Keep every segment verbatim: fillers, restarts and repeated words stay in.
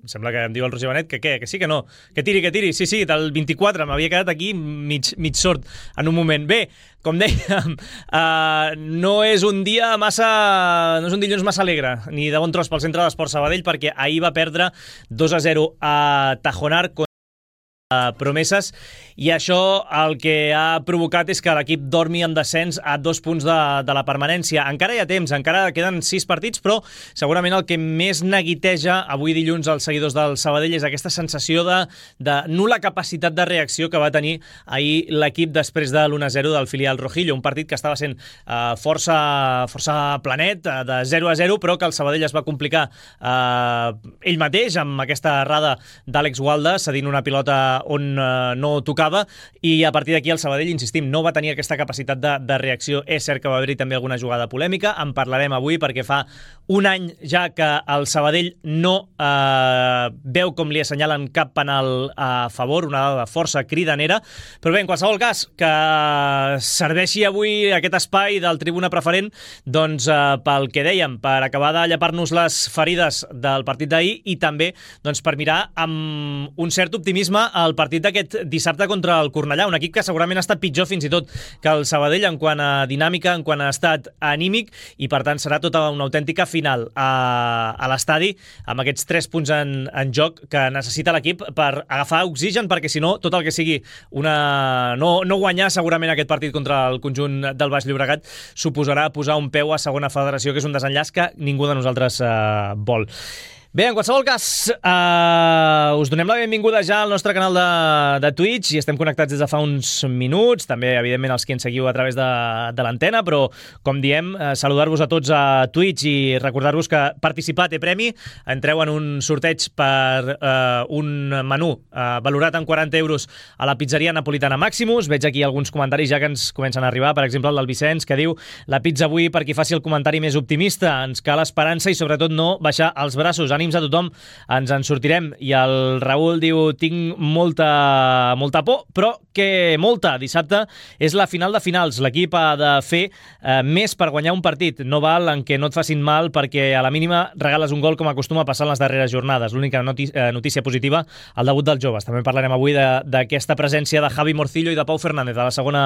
Em sembla que em diu el Roger Benet que què, que sí, que no, que tiri, que tiri, sí, sí, del vint-i-quatre, m'havia quedat aquí mig, mig sord en un moment. Bé, com dèiem, uh, no és un dia massa, no és un dilluns massa alegre, ni de bon tros pel Centre d'Esports Sabadell, perquè ahir va perdre dos a zero a Tajonar Promeses, i això el que ha provocat és que l'equip dormi en descens a dos punts de, de la permanència. Encara hi ha temps, encara queden sis partits, però segurament el que més neguiteja avui dilluns als seguidors del Sabadell és aquesta sensació de, de nul·la capacitat de reacció que va tenir ahir l'equip després de l'u a zero del filial Rojillo, un partit que estava sent uh, força, força planet, uh, de zero a zero, però que el Sabadell es va complicar uh, ell mateix amb aquesta errada d'Àlex Gualda, cedint una pilota on eh, no tocava, i a partir d'aquí el Sabadell, insistim, no va tenir aquesta capacitat de, de reacció. És cert que va haver-hi també alguna jugada polèmica, en parlarem avui perquè fa un any ja que el Sabadell no eh, veu com li assenyalen cap penal a favor, una dada de força cridanera, però bé, en qualsevol cas, que serveixi avui aquest espai del Tribuna Preferent, doncs eh, pel que dèiem, per acabar de llepar-nos les ferides del partit d'ahir i també doncs, per mirar amb un cert optimisme el partit d'aquest dissabte contra el Cornellà, un equip que segurament ha estat pitjor fins i tot que el Sabadell en quant a dinàmica, en quant a estat anímic, i per tant serà tota una autèntica final a, a l'estadi amb aquests tres punts en, en joc que necessita l'equip per agafar oxigen, perquè si no, tot el que sigui una... no, no guanyar segurament aquest partit contra el conjunt del Baix Llobregat suposarà posar un peu a segona federació, que és un desenllaç que ningú de nosaltres eh, vol. Bé, en qualsevol cas, uh, us donem la benvinguda ja al nostre canal de, de Twitch, i estem connectats des de fa uns minuts, també, evidentment, els que ens seguiu a través de, de l'antena, però, com diem, uh, saludar-vos a tots a Twitch i recordar-vos que participar té premi. Entreu en un sorteig per uh, un menú uh, valorat en quaranta euros a la pizzeria napolitana Maximus. Veig aquí alguns comentaris ja que ens comencen a arribar, per exemple, el del Vicenç, que diu: la pizza avui per qui faci el comentari més optimista, ens cal esperança i, sobretot, no baixar els braços. Ànims a tothom, ens en sortirem. I el Raül diu: tinc molta, molta por, però que molta. Dissabte és la final de finals. L'equip ha de fer eh, més per guanyar un partit. No val en què no et facin mal perquè a la mínima regales un gol, com acostuma a passar en les darreres jornades. L'única notícia, notícia positiva, el debut dels joves. També parlarem avui d'aquesta presència de Javi Morcillo i de Pau Fernández a la segona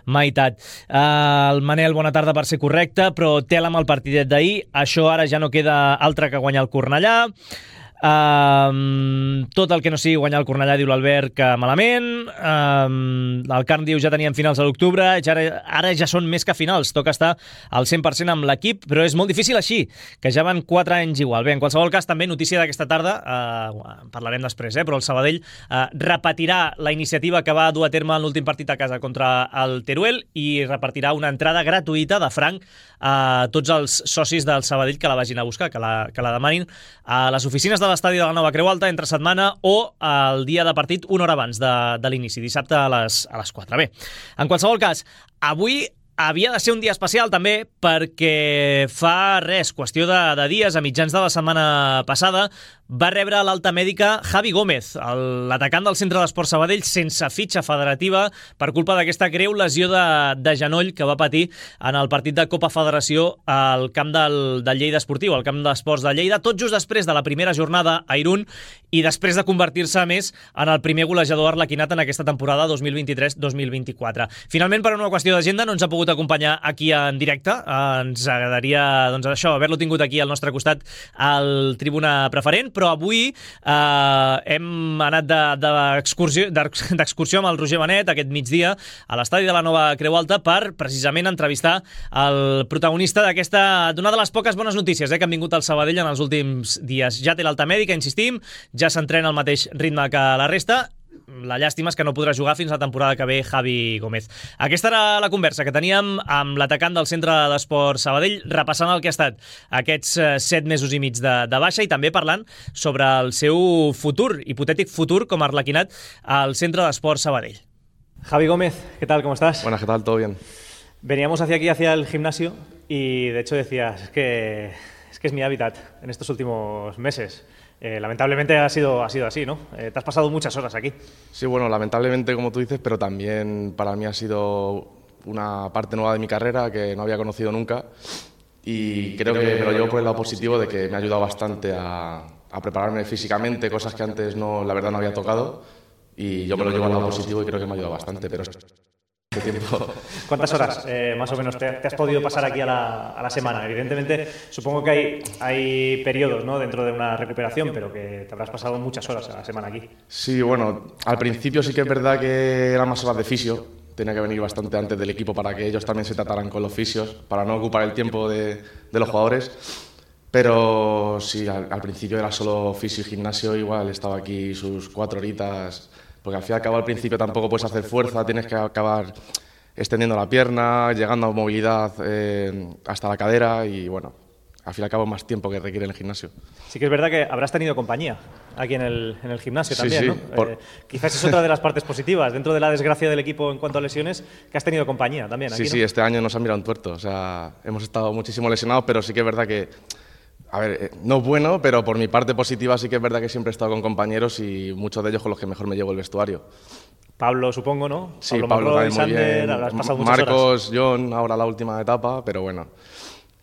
meitat. Eh, el Manel, bona tarda per ser correcte, però tela amb el partidet d'ahir. Això ara ja no queda altre que guanyar el Cornellà. Um, tot el que no sigui guanyar el Cornellà, diu l'Albert, que malament. um, el Carn diu: ja teníem finals a l'octubre, ara, ara ja són més que finals, toca estar al cent per cent amb l'equip, però és molt difícil així, que ja van quatre anys igual. Bé, en qualsevol cas, també notícia d'aquesta tarda, uh, parlarem després, eh, però el Sabadell uh, repetirà la iniciativa que va dur a terme en l'últim partit a casa contra el Teruel, i repartirà una entrada gratuïta de franc a tots els socis del Sabadell que la vagin a buscar, que la, que la demanin a les oficines de l'estadi de la Nova Creu Alta entre setmana o el dia de partit una hora abans de, de l'inici, dissabte a les, a les quatre. Bé, en qualsevol cas, avui havia de ser un dia especial també perquè fa res, qüestió de, de dies, a mitjans de la setmana passada, va rebre l'alta mèdica Javi Gómez, l'atacant del Centre d'Esports Sabadell, sense fitxa federativa per culpa d'aquesta greu lesió de, de genoll que va patir en el partit de Copa Federació al camp del, del Lleida Esportiu, al camp d'esports de Lleida, tot just després de la primera jornada a Irún i després de convertir-se més en el primer golejador arlequinat en aquesta temporada dos mil vint-i-tres dos mil vint-i-quatre. Finalment, per una qüestió d'agenda, no ens ha pogut acompanyar aquí en directe. Ens agradaria, doncs, això, haver-lo tingut aquí al nostre costat al Tribuna Preferent, però avui eh, hem anat d'excursió de, d'excursió amb el Roger Benet aquest migdia a l'estadi de la Nova Creu Alta per precisament entrevistar el protagonista d'aquesta, d'una de les poques bones notícies eh, que han vingut al Sabadell en els últims dies. Ja té l'alta mèdica, insistim, ja s'entrena al mateix ritme que la resta. La llàstima és que no podrà jugar fins la temporada que ve Javi Gómez. Aquesta era la conversa que teníem amb l'atacant del Centre d'Esports Sabadell, repassant el que ha estat aquests set mesos i mig de, de baixa i també parlant sobre el seu futur, hipotètic futur com a arlequinat al Centre d'Esports Sabadell. Javi Gómez, ¿qué tal? ¿Cómo estás? Buenas, ¿qué tal? ¿Todo bien? Veníamos hacia aquí, hacia el gimnasio, y de hecho decías, es que es, que es mi hábitat en estos últimos meses. Eh, lamentablemente ha sido, ha sido así, ¿no? Eh, te has pasado muchas horas aquí. Sí, bueno, lamentablemente, como tú dices, pero también para mí ha sido una parte nueva de mi carrera que no había conocido nunca y creo que me lo llevo por el lado positivo de que me ha ayudado bastante a, a prepararme físicamente, cosas que antes no, la verdad no había tocado, y yo me lo llevo al lado positivo y creo que me ha ayudado bastante, pero este tiempo... ¿Cuántas horas eh, más o menos te, te has podido pasar aquí a la, a la semana? Evidentemente, supongo que hay, hay periodos, ¿no?, dentro de una recuperación, pero que te habrás pasado muchas horas a la semana aquí. Sí, bueno, al principio sí que es verdad que eran más horas de fisio, tenía que venir bastante antes del equipo para que ellos también se trataran con los fisios, para no ocupar el tiempo de, de los jugadores. Pero sí, al, al principio era solo fisio y gimnasio, igual estaba aquí sus cuatro horitas, porque al fin y al cabo al principio tampoco puedes hacer fuerza, tienes que acabar extendiendo la pierna, llegando a movilidad eh, hasta la cadera y bueno, al fin y al cabo más tiempo que requiere el gimnasio. Sí que es verdad que habrás tenido compañía aquí en el, en el gimnasio sí, también, sí, ¿no? Por... Eh, quizás es otra de las partes positivas, dentro de la desgracia del equipo en cuanto a lesiones, que has tenido compañía también aquí, Sí, ¿no? sí, este año nos han mirado un tuerto, o sea, hemos estado muchísimo lesionados, pero sí que es verdad que... A ver, no es bueno, pero por mi parte positiva sí que es verdad que siempre he estado con compañeros y muchos de ellos con los que mejor me llevo el vestuario. Pablo, supongo, ¿no? Sí, Pablo, Pablo Macroy, también muy Sander, bien. habrás pasado muchas Marcos, horas. John, ahora la última etapa, pero bueno.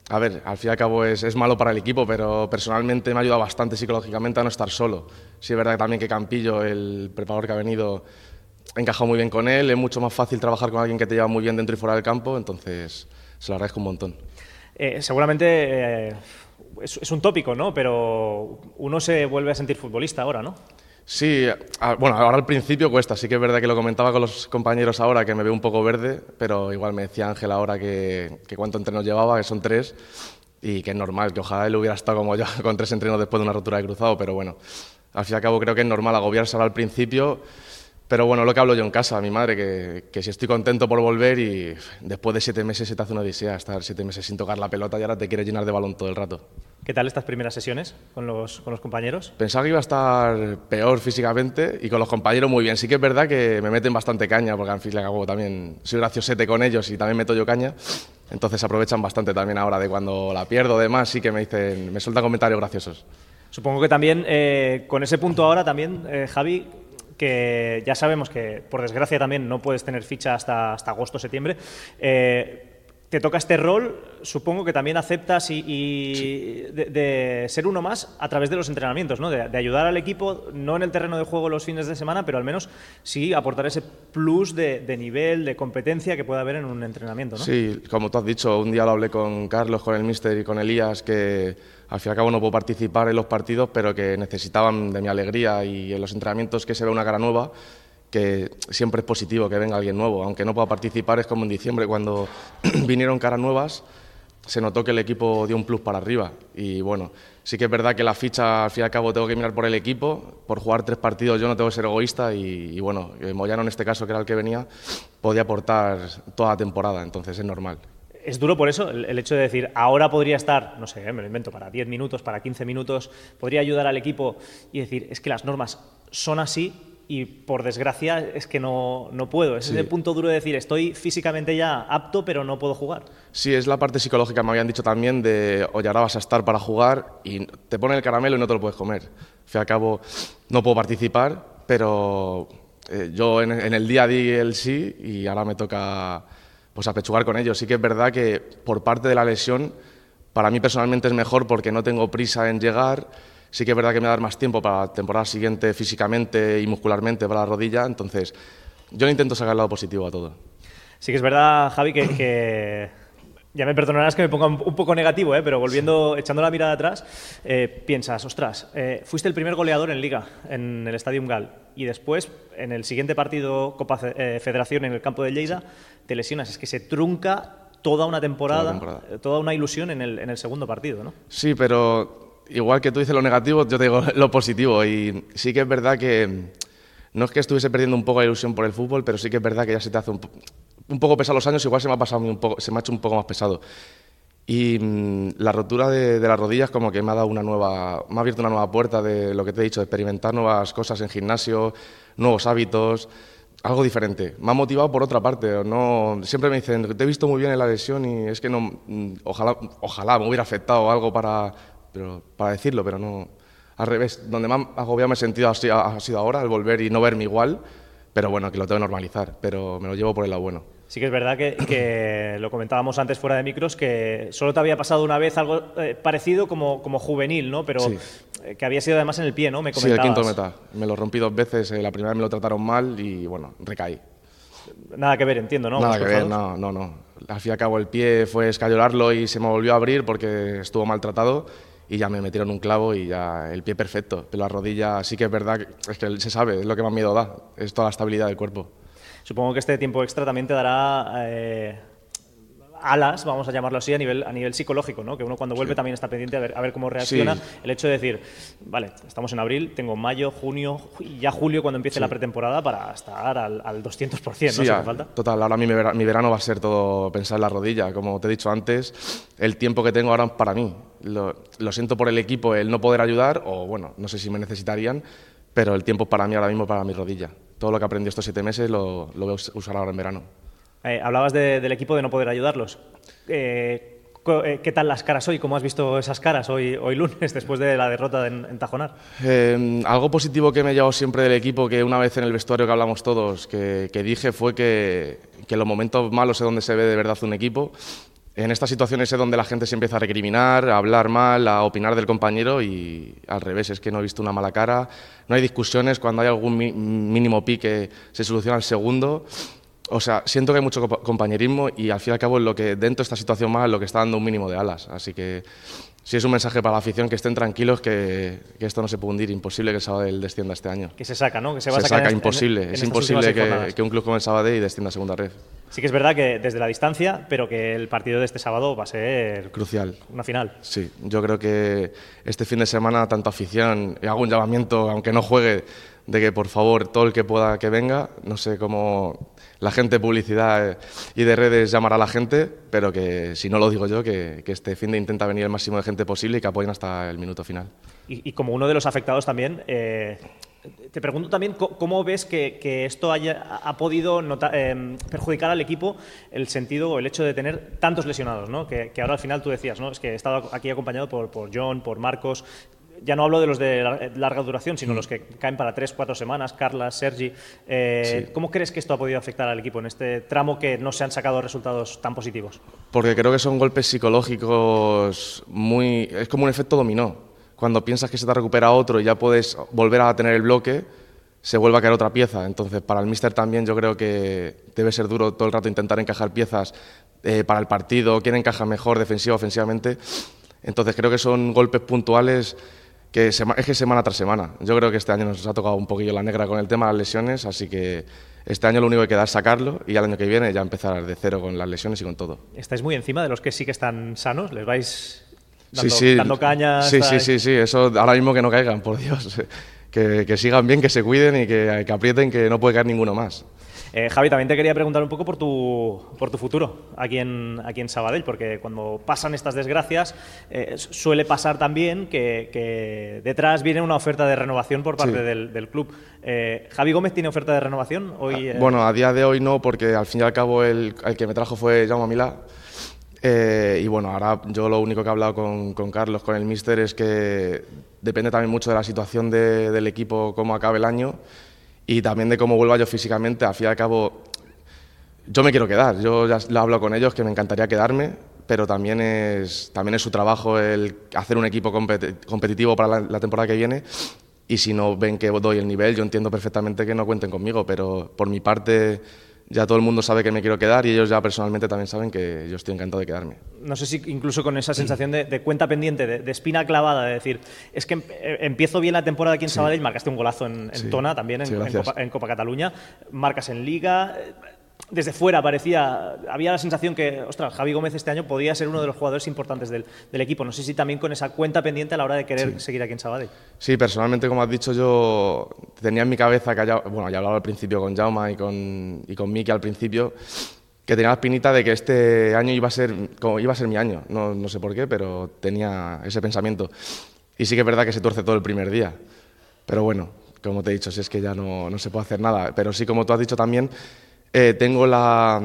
A ver, al fin y al cabo es, es malo para el equipo, pero personalmente me ha ayudado bastante psicológicamente a no estar solo. Sí es verdad también que Campillo, el preparador que ha venido, he encajado muy bien con él, es mucho más fácil trabajar con alguien que te lleva muy bien dentro y fuera del campo, entonces se lo agradezco un montón. Eh, seguramente... Eh... Es, es un tópico, ¿no? Pero uno se vuelve a sentir futbolista ahora, ¿no? Sí, a, bueno, ahora al principio cuesta. Sí que es verdad que lo comentaba con los compañeros ahora, que me veo un poco verde, pero igual me decía Ángel ahora que, que cuánto entrenos llevaba, que son tres, y que es normal, que ojalá él hubiera estado como yo con tres entrenos después de una rotura de cruzado, pero bueno, al fin y al cabo creo que es normal agobiarse ahora al principio. Pero bueno, lo que hablo yo en casa, a mi madre, que, que si estoy contento por volver y después de siete meses se te hace una odisea, estar siete meses sin tocar la pelota y ahora te quieres llenar de balón todo el rato. ¿Qué tal estas primeras sesiones con los, con los compañeros? Pensaba que iba a estar peor físicamente y con los compañeros muy bien. Sí que es verdad que me meten bastante caña, porque al fin y al cabo también soy graciosete con ellos y también meto yo caña. Entonces aprovechan bastante también ahora de cuando la pierdo, demás, sí que me dicen, me sueltan comentarios graciosos. Supongo que también eh, con ese punto ahora también, eh, Javi, que ya sabemos que por desgracia también no puedes tener ficha hasta, hasta agosto, septiembre, eh, te toca este rol, supongo que también aceptas y, y sí. de, de ser uno más a través de los entrenamientos, ¿no? De, de ayudar al equipo, no en el terreno de juego los fines de semana, pero al menos sí aportar ese plus de, de nivel, de competencia que pueda haber en un entrenamiento, ¿no? Sí, como tú has dicho, un día lo hablé con Carlos, con el míster y con Elías, que al fin y al cabo no puedo participar en los partidos, pero que necesitaban de mi alegría y en los entrenamientos que se ve una cara nueva, que siempre es positivo que venga alguien nuevo, aunque no pueda participar. Es como en diciembre cuando vinieron caras nuevas, se notó que el equipo dio un plus para arriba y bueno, sí que es verdad que la ficha al fin y al cabo tengo que mirar por el equipo, por jugar tres partidos yo no tengo que ser egoísta y, y bueno, Moyano en este caso que era el que venía, podía aportar toda la temporada, entonces es normal. Es duro por eso, el, el hecho de decir, ahora podría estar, no sé, me lo invento, para diez minutos, para quince minutos, podría ayudar al equipo y decir, es que las normas son así y por desgracia es que no, no puedo. Ese sí. Es el punto duro de decir, estoy físicamente ya apto, pero no puedo jugar. Sí, es la parte psicológica, me habían dicho también, de oye, ahora vas a estar para jugar y te ponen el caramelo y no te lo puedes comer. Al fin y al cabo, no puedo participar, pero eh, yo en, en el día di el sí y ahora me toca pues apechugar con ellos. Sí que es verdad que por parte de la lesión, para mí personalmente es mejor porque no tengo prisa en llegar. Sí que es verdad que me va a dar más tiempo para la temporada siguiente físicamente y muscularmente para la rodilla, entonces yo le intento sacar el lado positivo a todo. Sí que es verdad, Javi, que, que ya me perdonarás que me ponga un poco negativo, ¿eh? Pero volviendo, sí. echando la mirada atrás, eh, piensas, ostras, eh, fuiste el primer goleador en Liga, en el Stadium Gal, y después, en el siguiente partido Copa eh, Federación en el campo de Lleida, sí. te lesionas. Es que se trunca toda una temporada, toda, temporada. toda una ilusión en el, en el segundo partido, ¿no? Sí, pero igual que tú dices lo negativo, yo te digo lo positivo, y sí que es verdad que no es que estuviese perdiendo un poco la ilusión por el fútbol, pero sí que es verdad que ya se te hace un, un poco pesado los años, igual se me ha pasado un poco, se me ha hecho un poco más pesado. Y mmm, la rotura de, de las rodillas como que me ha dado una nueva, me ha abierto una nueva puerta de lo que te he dicho, de experimentar nuevas cosas en gimnasio, nuevos hábitos, algo diferente. Me ha motivado por otra parte, no, siempre me dicen, te he visto muy bien en la lesión y es que no, ojalá, ojalá me hubiera afectado algo para, pero, para decirlo, pero no. Al revés, donde más agobiado me he sentido ha sido ahora, al volver y no verme igual, pero bueno, que lo tengo que normalizar, pero me lo llevo por el lado bueno. Sí que es verdad que, que lo comentábamos antes fuera de micros, que solo te había pasado una vez algo eh, parecido como, como juvenil, ¿no? Pero sí. eh, que había sido además en el pie, ¿no? Me comentabas. Sí, el quinto meta. Me lo rompí dos veces, eh, la primera vez me lo trataron mal y bueno, recaí. Nada que ver, entiendo, ¿no? Nada que ver, no, no, no. Al fin y al cabo el pie fue escayolarlo y se me volvió a abrir porque estuvo maltratado y ya me metieron un clavo y ya el pie perfecto. Pero la rodilla sí que es verdad, que, es que se sabe, es lo que más miedo da, es toda la estabilidad del cuerpo. Supongo que este tiempo extra también te dará eh, alas, vamos a llamarlo así, a nivel, a nivel psicológico, ¿no? Que uno cuando vuelve sí. también está pendiente a ver, a ver cómo reacciona. Sí. El hecho de decir, vale, estamos en abril, tengo mayo, junio y ya julio cuando empiece sí. la pretemporada para estar al, al doscientos por ciento, ¿no? Sí, Si hace falta. Total, ahora mi verano, mi verano va a ser todo pensar en la rodilla. Como te he dicho antes, el tiempo que tengo ahora es para mí. Lo, lo siento por el equipo, el no poder ayudar, o bueno, no sé si me necesitarían, pero el tiempo para mí ahora mismo para mi rodilla. Todo lo que aprendí estos siete meses lo, lo voy a usar ahora en verano. Eh, hablabas de, del equipo de no poder ayudarlos. Eh, ¿Qué tal las caras hoy? ¿Cómo has visto esas caras hoy, hoy lunes, después de la derrota en, en Tajonar? Eh, algo positivo que me he llevado siempre del equipo, que una vez en el vestuario que hablamos todos, que, que dije fue que, que en los momentos malos es donde se ve de verdad un equipo. En estas situaciones es donde la gente se empieza a recriminar, a hablar mal, a opinar del compañero y al revés, es que no he visto una mala cara, no hay discusiones, cuando hay algún mínimo pique se soluciona al segundo. O sea, siento que hay mucho compañerismo y al fin y al cabo es lo que dentro de esta situación más es lo que está dando un mínimo de alas. Así que sí es un mensaje para la afición, que estén tranquilos, que, que esto no se puede hundir, imposible que el Sabadell descienda este año. Que se saca, ¿no? Que se va se a sacar saca, en, imposible, en, en es imposible que, que un club como el Sabadell descienda a segunda red. Sí que es verdad que desde la distancia, pero que el partido de este sábado va a ser crucial. Una final. Sí, yo creo que este fin de semana tanto afición, y hago un llamamiento, aunque no juegue, de que por favor todo el que pueda que venga, no sé cómo la gente de publicidad y de redes llamará a la gente, pero que si no lo digo yo, que, que este fin de intenta venir el máximo de gente posible y que apoyen hasta el minuto final. Y, y como uno de los afectados también, eh, te pregunto también cómo ves que, que esto haya, ha podido nota, eh, perjudicar al equipo el sentido o el hecho de tener tantos lesionados, ¿no? Que, que ahora al final tú decías, ¿no? Es que he estado aquí acompañado por, por John, por Marcos. Ya no hablo de los de larga duración, sino mm. los que caen para tres, cuatro semanas, Carla, Sergi. Eh, sí. ¿Cómo crees que esto ha podido afectar al equipo en este tramo que no se han sacado resultados tan positivos? Porque creo que son golpes psicológicos muy... Es como un efecto dominó. Cuando piensas que se te recupera otro y ya puedes volver a tener el bloque, se vuelve a caer otra pieza. Entonces, para el míster también yo creo que debe ser duro todo el rato intentar encajar piezas eh, para el partido, quién encaja mejor defensiva, ofensivamente. Entonces, creo que son golpes puntuales que es que semana tras semana. Yo creo que este año nos ha tocado un poquillo la negra con el tema de las lesiones, así que este año lo único que queda es sacarlo y al año que viene ya empezar de cero con las lesiones y con todo. ¿Estáis muy encima de los que sí que están sanos? ¿Les vais dando, sí, sí. dando caña? Sí, sí, sí, sí, eso ahora mismo que no caigan, por Dios. Que, que sigan bien, que se cuiden y que, que aprieten, que no puede caer ninguno más. Eh, Javi, también te quería preguntar un poco por tu, por tu futuro aquí en, aquí en Sabadell, porque cuando pasan estas desgracias eh, suele pasar también que, que detrás viene una oferta de renovación por parte sí. del, del club. Eh, ¿Javi Gómez tiene oferta de renovación hoy? Eh... Bueno, a día de hoy no, porque al fin y al cabo el, el que me trajo fue Jaume Milà. Eh, y bueno, ahora yo lo único que he hablado con, con Carlos, con el míster, es que depende también mucho de la situación de, del equipo, cómo acabe el año. Y también de cómo vuelva yo físicamente. Al fin y al cabo, yo me quiero quedar. Yo ya lo hablo con ellos, que me encantaría quedarme, pero también es, también es su trabajo el hacer un equipo compet competitivo para la, la temporada que viene. Y si no ven que doy el nivel, yo entiendo perfectamente que no cuenten conmigo, pero por mi parte ya todo el mundo sabe que me quiero quedar y ellos ya personalmente también saben que yo estoy encantado de quedarme. No sé si incluso con esa sensación de, de cuenta pendiente, de, de espina clavada, de decir, es que empiezo bien la temporada aquí en sí. Sabadell, marcaste un golazo en, en sí. Tona también, en, sí, en, Copa, en Copa Cataluña, marcas en Liga. Desde fuera parecía, había la sensación que, ostras, Javi Gómez este año podía ser uno de los jugadores importantes del, del equipo. No sé si también con esa cuenta pendiente a la hora de querer sí. seguir aquí en Sabadell. Sí, personalmente, como has dicho, yo tenía en mi cabeza que, haya, bueno, ya hablaba al principio con Jaume y con, y con Miki al principio, que tenía la espinita de que este año iba a ser, como iba a ser mi año. No, no sé por qué, pero tenía ese pensamiento. Y sí que es verdad que se tuerce todo el primer día. Pero bueno, como te he dicho, si es que ya no, no se puede hacer nada. Pero sí, como tú has dicho también, Eh, tengo la,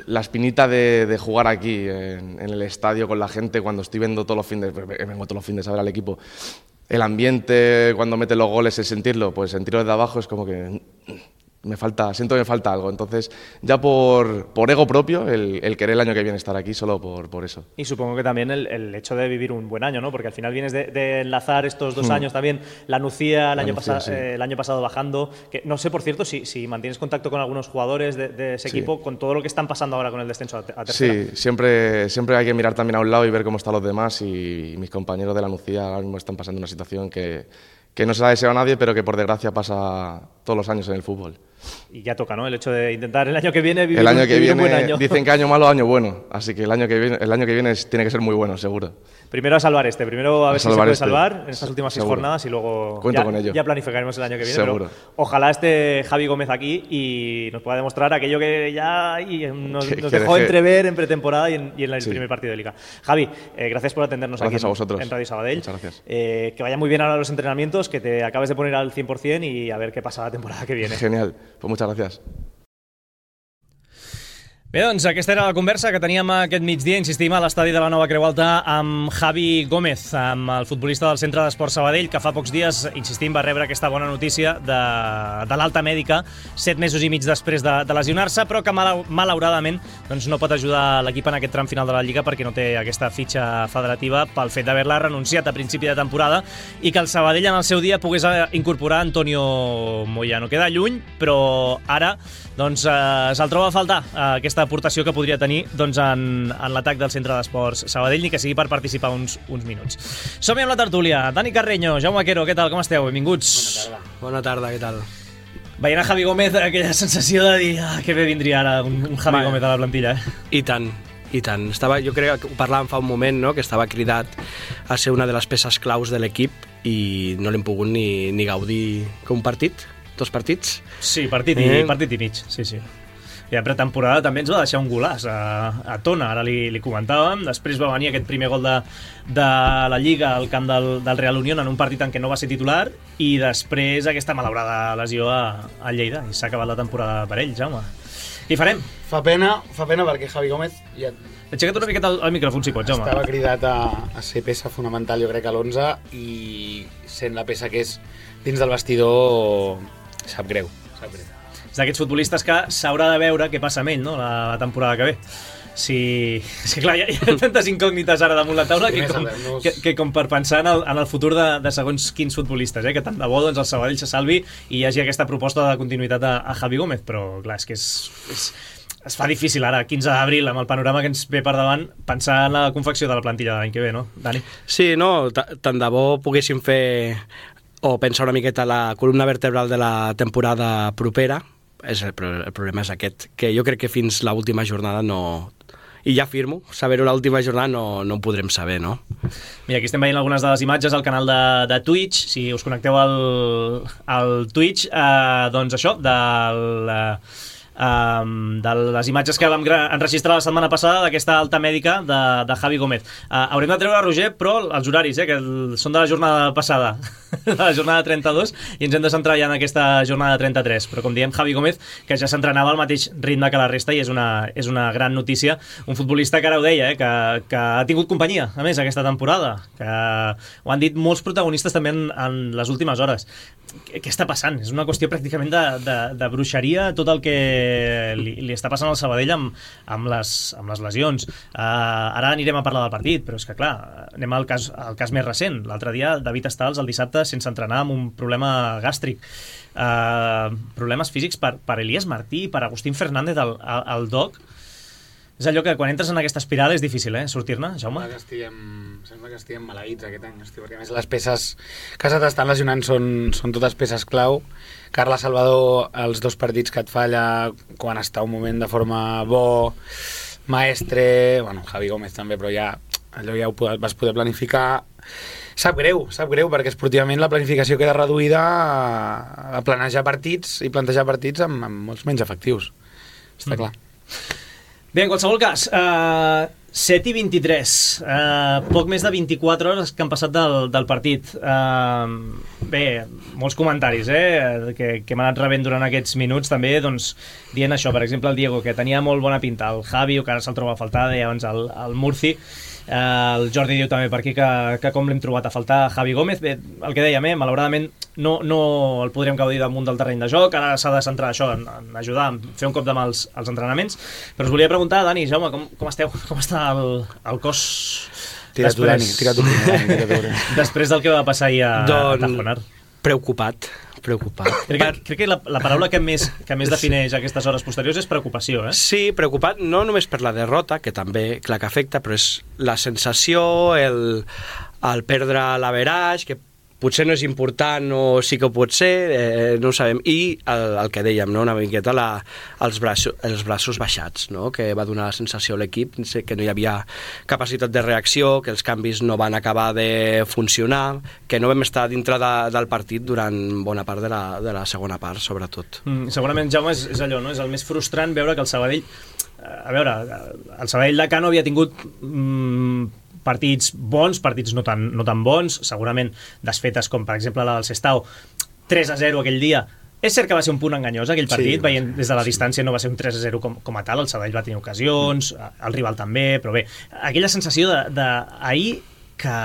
la espinita de, de jugar aquí en, en el estadio con la gente cuando estoy viendo todos los fines, vengo todos los fines a ver al equipo. El ambiente, cuando mete los goles, el sentirlo, pues sentirlo desde abajo es como que me falta, siento que me falta algo. Entonces, ya por, por ego propio, el, el querer el año que viene estar aquí, solo por, por eso. Y supongo que también el, el hecho de vivir un buen año, ¿no? Porque al final vienes de, de enlazar estos dos hmm. años también, la Nucía el, la año, Nucía, pasa, sí. eh, el año pasado bajando. Que, no sé, por cierto, si, si mantienes contacto con algunos jugadores de, de ese sí. equipo, con todo lo que están pasando ahora con el descenso a, a tercera. Sí, siempre, siempre hay que mirar también a un lado y ver cómo están los demás. Y, y mis compañeros de la Nucía ahora mismo están pasando una situación que, que no se la desea a nadie, pero que por desgracia pasa todos los años en el fútbol. Y ya toca, ¿no? El hecho de intentar el año que viene vivir, el año que vivir viene, un buen año. Dicen que año malo, año bueno. Así que el año que viene, el año que viene tiene que ser muy bueno, seguro. Primero a salvar este. Primero a, a ver si se puede este. salvar en estas últimas seguro. seis jornadas y luego Cuento ya, con ello. ya planificaremos el año que viene. Seguro. Pero ojalá esté Javi Gómez aquí y nos pueda demostrar aquello que ya y nos, que, nos que dejó deje... entrever en pretemporada y en, y en el sí. primer partido de Liga. Javi, eh, gracias por atendernos gracias aquí a vosotros. en, en Radio Sabadell. Muchas gracias. Eh, que vaya muy bien ahora los entrenamientos, que te acabes de poner al cien por cien y a ver qué pasa la temporada que viene. Genial. Pues muchas gracias. Bé, doncs aquesta era la conversa que teníem aquest migdia, insistim, a l'estadi de la Nova Creu Alta amb Javi Gómez, amb el futbolista del Centre d'Esport Sabadell, que fa pocs dies, insistim, va rebre aquesta bona notícia de, de l'alta mèdica, set mesos i mig després de, de lesionar-se, però que mal, malauradament doncs, no pot ajudar l'equip en aquest tram final de la Lliga perquè no té aquesta fitxa federativa pel fet d'haver-la renunciat a principi de temporada i que el Sabadell en el seu dia pogués incorporar Antonio Moyano. Queda lluny, però ara doncs, eh, se'l troba a faltar eh, aquesta aportació que podria tenir doncs, en, en l'atac del Centre d'Esports Sabadell, ni que sigui per participar uns, uns minuts. Som-hi amb la tertúlia. Dani Carreño, Jaume Quero, què tal? Com esteu? Benvinguts. Bona tarda. Bona tarda, què tal? Veient a Javi Gómez, aquella sensació de dir ah, que bé vindria ara un, un Javi Va, Gómez a la plantilla. Eh? I tant, i tant. Estava, jo crec que ho parlàvem fa un moment, no? Que estava cridat a ser una de les peces claus de l'equip i no l'hem pogut ni, ni gaudir com un partit. Dos partits? Sí, partit i, eh? partit i mig, sí, sí. I a pretemporada també ens va deixar un golàs a, a Tona, ara li, li comentàvem. Després va venir aquest primer gol de, de la Lliga al camp del, del Real Unión en un partit en què no va ser titular i després aquesta malaurada lesió a, a Lleida i s'ha acabat la temporada per ell, Jaume. Què hi farem? Fa pena, fa pena perquè Javi Gómez ja... Aixeca't una miqueta al micròfon si pots, Jaume. Estava cridat a, a ser peça fonamental, jo crec, a l'onze i sent la peça que és dins del vestidor sap greu, sap greu. És d'aquests futbolistes que s'haurà de veure què passa amb ell, no?, la, la temporada que ve. Si... És que clar, hi ha, hi ha tantes incògnites ara damunt la taula que com, que, que com per pensar en el, en el futur de, de segons quins futbolistes, eh? Que tant de bo doncs, el Sabadell se salvi i hi hagi aquesta proposta de continuïtat a, a Javi Gómez, però clar, és que és... és es fa difícil ara, quinze d'abril, amb el panorama que ens ve per davant, pensar en la confecció de la plantilla de l'any que ve, no, Dani? Sí, no, tant de bo poguéssim fer o pensar una miqueta la columna vertebral de la temporada propera. És el, el problema és aquest, que jo crec que fins l'última jornada no... I ja afirmo, saber-ho l'última jornada no, no ho podrem saber, no? Mira, aquí estem veient algunes de les imatges al canal de, de Twitch. Si us connecteu al, al Twitch, eh, doncs això, del... Eh, Um, de les imatges que vam enregistrar la setmana passada d'aquesta alta mèdica de, de Javi Gómez. Uh, haurem de treure, Roger, però els horaris, eh, que el, són de la jornada passada, de la jornada trenta-dos, i ens hem de centrar ja en aquesta jornada trenta-tres. Però com diem, Javi Gómez, que ja s'entrenava al mateix ritme que la resta i és una, és una gran notícia. Un futbolista que ara ho deia, eh, que, que ha tingut companyia, a més, aquesta temporada, que ho han dit molts protagonistes també en, en les últimes hores. Què està passant? És una qüestió pràcticament de, de, de bruixeria, tot el que li, li està passant al Sabadell amb, amb, les, amb les lesions. Uh, ara anirem a parlar del partit, però és que clar, anem al cas, al cas més recent. L'altre dia David Estals el dissabte sense entrenar amb un problema gàstric. Uh, problemes físics per, per Elias Martí, per Agustín Fernández al, al, al D O C. És allò que quan entres en aquesta espiral és difícil, eh, sortir-ne, Jaume? Sembla que estiguem, sembla que estiguem maleïts aquest any, hosti, perquè a més les peces que s'estan lesionant són, són totes peces clau. Carles Salvador, els dos partits que et falla quan està un moment de forma bo, Maestre, bueno, Javi Gómez també, però ja allò ja ho vas poder planificar. Sap greu, sap greu, perquè esportivament la planificació queda reduïda a, a planejar partits i plantejar partits amb, amb molts menys efectius. Està clar. Bé, en qualsevol cas, uh, set i vint-i-tres, uh, poc més de vint-i-quatre hores que han passat del, del partit. Uh, bé, molts comentaris eh, que, que m'han anat rebent durant aquests minuts també, doncs, dient això, per exemple, el Diego, que tenia molt bona pinta, el Javi, que ara se'l troba a faltar, deia abans el, el Murci, Uh, el Jordi diu també per aquí que, que com l'hem trobat a faltar Javi Gómez. Bé, el que dèiem, eh, malauradament no, no el podríem gaudir damunt del terreny de joc, ara s'ha de centrar això en, en ajudar, en fer un cop de mà als, als entrenaments, però us volia preguntar, Dani, Jaume, com, com esteu? Com està el, el cos... Tira tu, Dani, tira tu, Dani, tira tu. Després del que va passar ahir a, Don... a Tajonar. Preocupat, preocupat. Crec que, crec que la, la paraula que més, que més defineix aquestes hores posteriors és preocupació, eh? Sí, preocupat no només per la derrota, que també, clar que afecta, però és la sensació, el, el perdre l'averaix, que potser no és important o sí que ho pot ser, eh, no ho sabem. I el, el que dèiem, no? Una miqueta la, els, braços, els braços baixats, no? Que va donar la sensació a l'equip, que no hi havia capacitat de reacció, que els canvis no van acabar de funcionar, que no vam estar dintre de, del partit durant bona part de la, de la segona part, sobretot. Mm, segurament, Jaume, és, és allò, no? És el més frustrant veure que el Sabadell... A veure, el Sabadell de Cano havia tingut... Mm, partits bons, partits no tan, no tan bons, segurament desfetes com per exemple la del Sestao, tres a zero aquell dia. És cert que va ser un punt enganyós aquell partit, sí, veient des de la distància no va ser un tres a zero com, com a tal, el Sabadell va tenir ocasions, el rival també, però bé, aquella sensació d'ahir que,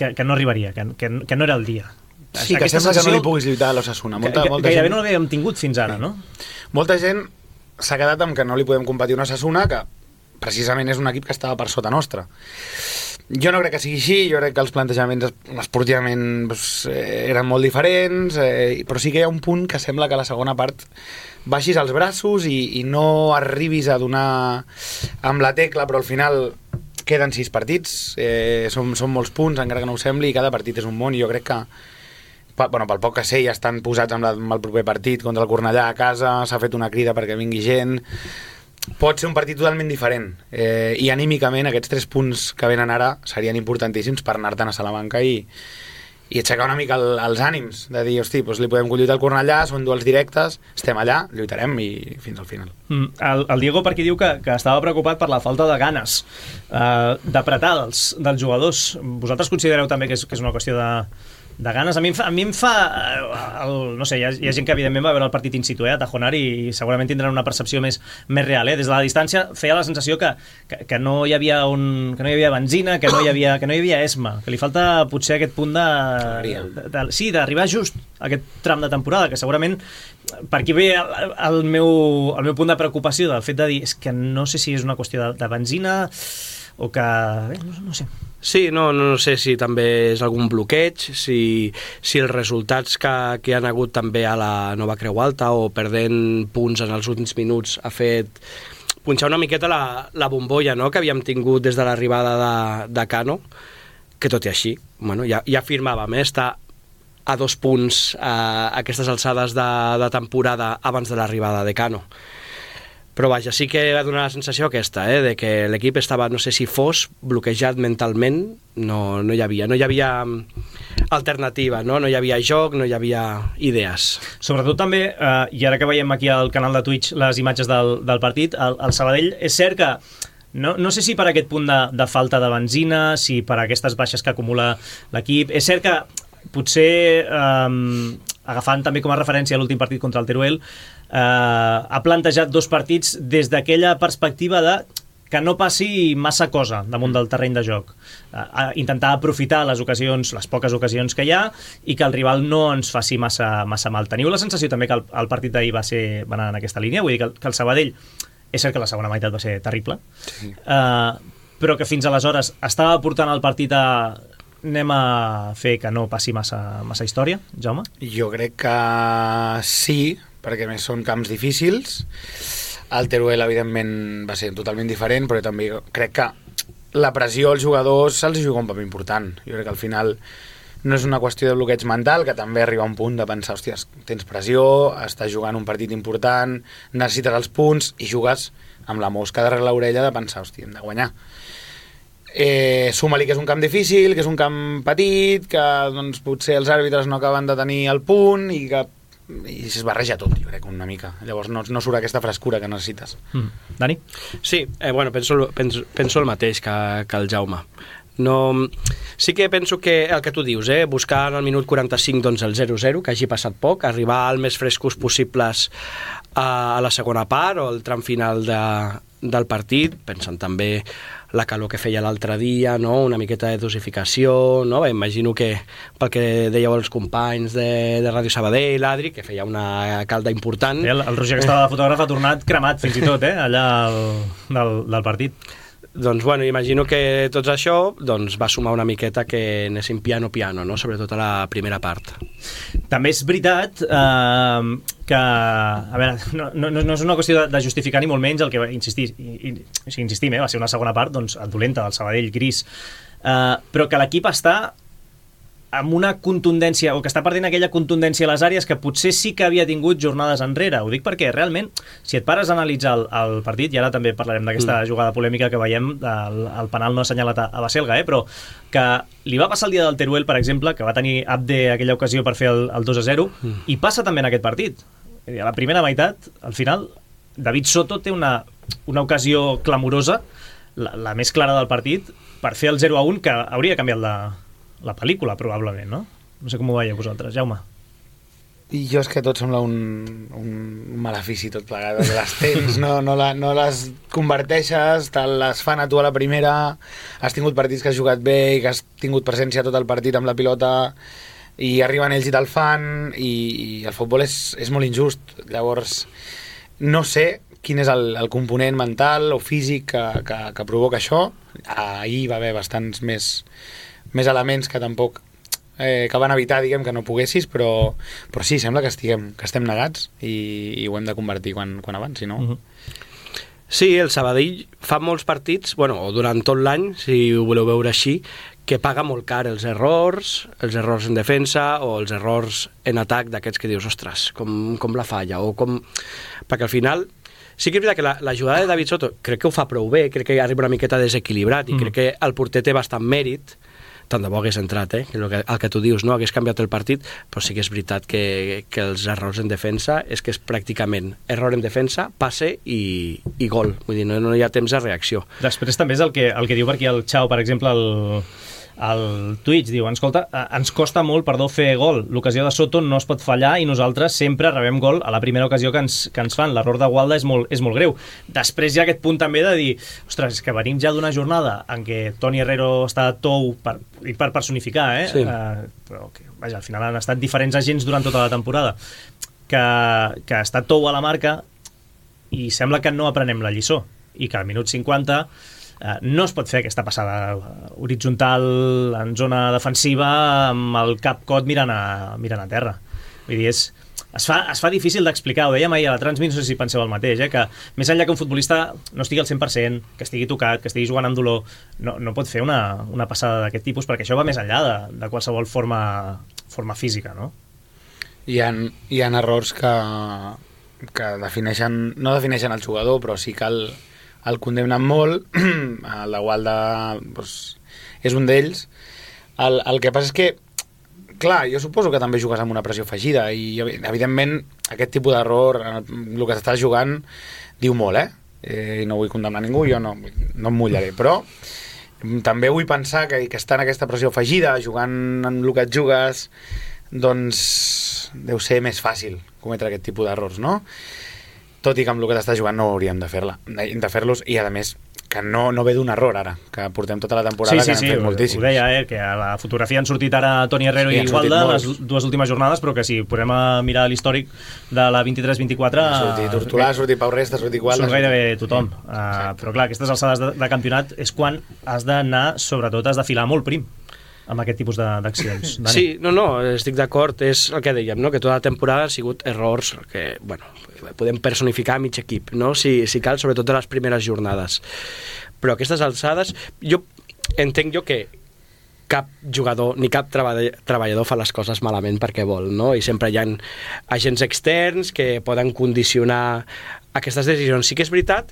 que, que no arribaria, que, que, que no era el dia. Sí, que sembla que no li puguis lluitar a l'Osasuna. Molta, que, molta gairebé gent... no l'havíem tingut fins ara, sí. No? Molta gent s'ha quedat amb que no li podem competir un Osasuna, que precisament és un equip que estava per sota nostra. Jo no crec que sigui així, jo crec que els plantejaments esportivament doncs, eh, eren molt diferents, eh, però sí que hi ha un punt que sembla que a la segona part baixis els braços i, i no arribis a donar amb la tecla, però al final queden sis partits, eh, són, són molts punts, encara que no ho sembli, i cada partit és un món, i jo crec que bueno, pel poc que sé ja estan posats amb, la, amb el proper partit contra el Cornellà a casa, s'ha fet una crida perquè vingui gent. Pot ser un partit totalment diferent, eh, i anímicament aquests tres punts que venen ara serien importantíssims per anar-te'n a Salamanca i, i aixecar una mica el, els ànims, de dir, hosti, doncs li podem lluitar al Cornellà, són duels directes, estem allà, lluitarem i fins al final. Mm, el, el Diego per aquí diu que, que estava preocupat per la falta de ganes, eh, d'apretar dels, dels jugadors. Vosaltres considereu també que és, que és una qüestió de... de ganes? A mi em fa, a mi em fa el, no sé, hi ha, hi ha gent que evidentment va veure el partit in situ, eh, a Tajonar, i segurament tindran una percepció més, més real, eh? Des de la distància feia la sensació que, que, que no hi havia un, que no hi havia benzina, que no hi havia, que no hi havia esma, que li falta potser aquest punt de, de, de sí, d'arribar just a aquest tram de temporada, que segurament per aquí ve el, el, meu, el meu punt de preocupació del fet de dir, és que no sé si és una qüestió de, de benzina o que... Bé, no, no sé. Sí, no, no sé si també és algun bloqueig, si, si els resultats que, que han hagut també a la Nova Creu Alta o perdent punts en els últims minuts ha fet punxar una miqueta la, la bombolla, no?, que havíem tingut des de l'arribada de, de Cano, que tot i així, bueno, ja, ja afirmàvem, eh, estar a dos punts a aquestes alçades de, de temporada abans de l'arribada de Cano. Però vaja, sí que va donar la sensació aquesta, eh, de que l'equip estava, no sé si fos, bloquejat mentalment, no, no hi havia, no hi havia alternativa, no? No hi havia joc, no hi havia idees. Sobretot també, eh, i ara que veiem aquí al canal de Twitch les imatges del, del partit, el, el Sabadell, és cert que no, no sé si per aquest punt de, de falta de benzina, si per aquestes baixes que acumula l'equip, és cert que potser, eh, agafant també com a referència l'últim partit contra el Teruel, eh, ha plantejat dos partits des d'aquella perspectiva de que no passi massa cosa damunt del terreny de joc, eh, intentar aprofitar les ocasions, les poques ocasions que hi ha, i que el rival no ens faci massa, massa mal. Teniu la sensació també que el, el partit d'ahir va, ser, va anar en aquesta línia? Vull dir que el, que el Sabadell, és cert que la segona meitat va ser terrible, sí. eh, però que fins aleshores estava portant el partit a... Anem a fer que no passi massa, massa història, Jaume? Jo crec que sí, perquè més són camps difícils. El Teruel, evidentment, va ser totalment diferent, però també crec que la pressió als jugadors se'ls juga un paper important. Jo crec que al final no és una qüestió de bloqueig mental, que també arriba a un punt de pensar, hòstia, tens pressió, estàs jugant un partit important, necessites els punts, i jugues amb la mosca darrere l'orella de pensar, hòstia, hem de guanyar. Eh, suma-li que és un camp difícil, que és un camp petit, que doncs, potser els àrbitres no acaben de tenir el punt i que i es barreja tot, jo crec, una mica. Llavors no, no surt aquesta frescura que necessites. Mm. Dani? Sí, eh, bueno, penso, penso, penso el mateix que, que el Jaume. No, sí que penso que el que tu dius, eh, buscar en el minut quaranta-cinc doncs, el zero zero, que hagi passat poc, arribar al més frescos possibles a, a la segona part o al tram final de, del partit, pensant també la calor que feia l'altre dia, no? Una miqueta de dosificació, no? Imagino que pel que dèieu els companys de, de Ràdio Sabadell, l'Adri, que feia una calda important. El, el Roger, que estava de fotògraf, ha tornat cremat fins i tot, eh? Allà el, del, del partit. Doncs, bueno, imagino que tot això doncs, va sumar una miqueta que anéssim piano-piano, no? Sobretot a la primera part. També és veritat eh, que, a veure, no, no, no és una qüestió de, de justificar ni molt menys el que va insistir, i, i, si insistim, eh, va ser una segona part doncs, dolenta del Sabadell gris, eh, però que l'equip està amb una contundència, o que està perdent aquella contundència a les àrees que potser sí que havia tingut jornades enrere. Ho dic perquè realment, si et pares a analitzar el, el partit, i ara també parlarem d'aquesta mm. jugada polèmica que veiem, el, el penal no assenyalat a, a Baselga, eh, però que li va passar el dia del Teruel, per exemple, que va tenir Abde aquella ocasió per fer el, el dos a zero, mm. i passa també en aquest partit. A la primera meitat, al final, David Soto té una, una ocasió clamorosa, la, la més clara del partit, per fer el zero a un, que hauria canviat la la pel·lícula, probablement, no? No sé com ho veieu vosaltres, Jaume. I jo és que tot sembla un, un malefici tot plegat, que les tens, no, no, la, no les converteixes, te les fan a tu a la primera, has tingut partits que has jugat bé i que has tingut presència tot el partit amb la pilota i arriben ells i te'l fan i, i el futbol és, és molt injust. Llavors, no sé quin és el, el component mental o físic que, que, que provoca això. Ahir va haver bastants més més elements que tampoc eh, que van evitar, diguem, que no poguessis, però, però sí, sembla que estiguem que estem negats i, i ho hem de convertir quan, quan avanci, no? Uh-huh. Sí, el Sabadell fa molts partits, bueno, o durant tot l'any, si ho voleu veure així, que paga molt car els errors, els errors en defensa o els errors en atac d'aquests que dius, ostres, com, com la falla, o com... Perquè al final... Sí que és veritat que la, la jugada de David Soto crec que ho fa prou bé, crec que arriba una miqueta desequilibrat i mm. crec que el porter té bastant mèrit, tant de bo hagués entrat, eh? El, que, el que tu dius, no? Hagués canviat el partit, però sí que és veritat que, que els errors en defensa és que és pràcticament error en defensa, passe i, i gol. Vull dir, no, no hi ha temps de reacció. Després també és el que, el que diu per aquí el Xau, per exemple, el, el Twitch, diu, escolta, ens costa molt, perdó, fer gol. L'ocasió de Soto no es pot fallar i nosaltres sempre rebem gol a la primera ocasió que ens, que ens fan. L'error de Gualda és molt, és molt greu. Després hi ha aquest punt també de dir, ostres, és que venim ja d'una jornada en què Toni Herrero està tou per, per personificar, eh? Sí. Uh, però que, vaja, al final han estat diferents agents durant tota la temporada que, que està tou a la marca i sembla que no aprenem la lliçó i que al minut cinquanta Uh, no es pot fer aquesta passada horitzontal en zona defensiva amb el cap cot mirant a, mirant a terra. Vull dir, és, es, fa, es fa difícil d'explicar. Ho dèiem ahir a la Transmit, no sé si penseu el mateix, eh? Que més enllà que un futbolista no estigui al cent per cent, que estigui tocat, que estigui jugant amb dolor, no, no pot fer una, una passada d'aquest tipus, perquè això va més enllà de, de qualsevol forma, forma física, no? Hi ha, hi ha errors que, que defineixen, no defineixen el jugador, però sí que el el condemnen molt, la Gualda doncs, és un d'ells. El, el que passa és que, clar, jo suposo que també jugues amb una pressió afegida i, evidentment, aquest tipus d'error, el que estàs jugant, diu molt, eh? eh no vull condemnar ningú, jo no, no em mullaré, però també vull pensar que, que estar en aquesta pressió afegida, jugant en el que et jugues, doncs deu ser més fàcil cometre aquest tipus d'errors, no? Tot i que amb el que t'estàs jugant no hauríem de fer-la, de fer-los, i a més que no, no ve d'un error ara, que portem tota la temporada sí, sí, que n'hem sí, fet moltíssims. Ho deia, eh, que a la fotografia han sortit ara Toni Herrero sí, i Gualda les dues últimes jornades, però que si podem mirar l'històric de la vint-i-tres vint-i-quatre... Ha sortit Hortolà, ha sortit Pau Resta, ha sortit Gualda... Surt gairebé tothom, uh, però clar, aquestes alçades de, de campionat és quan has d'anar, sobretot has de filar molt prim amb aquest tipus d'accions. Sí, no, no, estic d'acord, és el que dèiem, no? Que tota la temporada han sigut errors que, bueno, podem personificar a mig equip, no? Si, si cal, sobretot de les primeres jornades. Però aquestes alçades, jo entenc jo que cap jugador ni cap treballador fa les coses malament perquè vol, no? I sempre hi ha agents externs que poden condicionar aquestes decisions. Sí que és veritat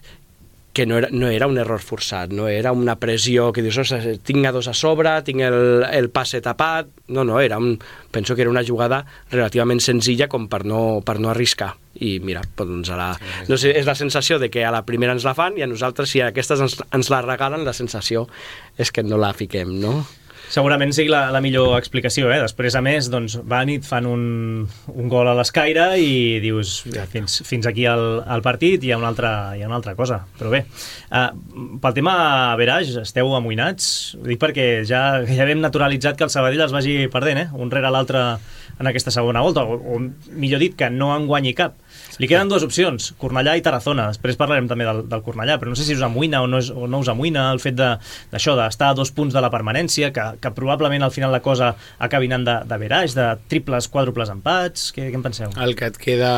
que no era, no era un error forçat, no era una pressió que dius, ostres, tinc a dos a sobre, tinc el, el passe tapat, no, no, era un, penso que era una jugada relativament senzilla com per no, per no arriscar, i mira, doncs a la, no sé, és la sensació de que a la primera ens la fan i a nosaltres si aquestes ens, ens la regalen, la sensació és que no la fiquem, no? segurament sigui la, la millor explicació, eh? Després, a més, doncs, van i et fan un, un gol a l'escaire i dius, fins, fins aquí el, el partit hi ha, una altra, hi ha una altra cosa. Però bé, eh, pel tema Verage, esteu amoïnats? Ho dic perquè ja, ja hem naturalitzat que el Sabadell es vagi perdent, eh? Un rere l'altre en aquesta segona volta, o, o millor dit, que no en guanyi cap. Li queden dues opcions, Cornellà i Tarazona. Després parlarem també del, del Cornellà, però no sé si us amoïna o no, és, o no us amoïna el fet d'això, de, d'estar a dos punts de la permanència, que, que probablement al final la cosa acabi anant de, de verage, de triples, quàdruples empats. Què, què en penseu? El que et queda...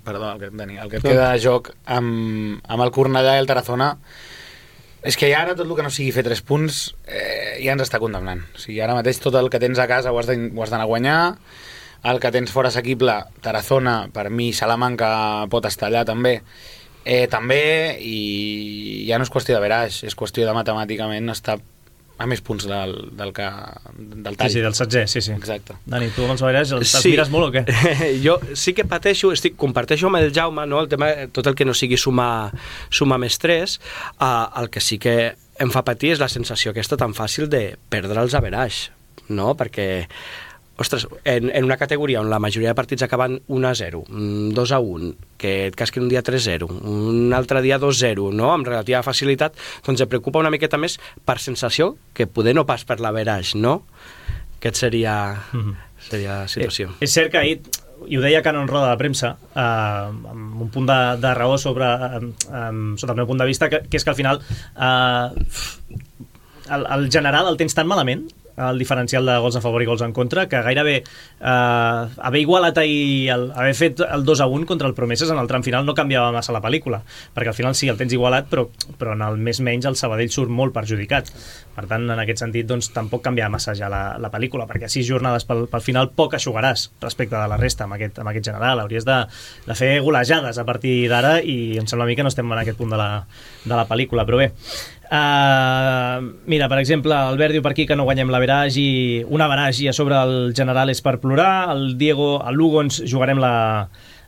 Perdó, el que, Dani, el que et queda de joc amb, amb el Cornellà i el Tarazona és que ara tot el que no sigui fer tres punts eh, ja ens està condemnant. O sigui, ara mateix tot el que tens a casa ho has d'anar a guanyar. El que tens fora assequible, Tarazona, per mi Salamanca pot estar allà també, eh, també, i ja no és qüestió de verage, és qüestió de matemàticament estar a més punts del, del, que, del tall. Sí, sí, del setzè, sí, sí. Exacte. Dani, tu amb els verage els sí. mires molt o què? Jo sí que pateixo, estic, comparteixo amb el Jaume, no? El tema, tot el que no sigui sumar, sumar més tres, uh, el que sí que em fa patir és la sensació aquesta tan fàcil de perdre els average, no? Perquè ostres, en, en una categoria on la majoria de partits acaben un a zero, dos a un, que et casquen un dia tres a zero, un altre dia dos a zero, no? Amb relativa facilitat, doncs em preocupa una miqueta més per sensació, que poder no pas per l'average, no? Aquest seria, mm-hmm. seria la situació. Eh, és cert que ahir, i ho deia Cano en roda de premsa, eh, amb un punt de, de raó sobre, eh, sota el meu punt de vista, que, que és que al final eh, el, el general el tens tan malament, el diferencial de gols a favor i gols en contra, que gairebé eh, haver igualat ahir, el, haver fet el dos a un contra el Promeses en el tram final no canviava massa la pel·lícula, perquè al final sí, el tens igualat, però, però en el més menys el Sabadell surt molt perjudicat. Per tant, en aquest sentit, doncs, tampoc canviava massa ja la, la pel·lícula, perquè a sis jornades pel, pel final poc eixugaràs respecte de la resta amb aquest, amb aquest general. Hauries de, de fer golejades a partir d'ara i em sembla a mi que no estem en aquest punt de la, de la pel·lícula, però bé. Uh, mira, per exemple, el Albert diu per aquí que no guanyem l'average i un average i a sobre el general és per plorar. El Diego, el Lugo ens jugarem la,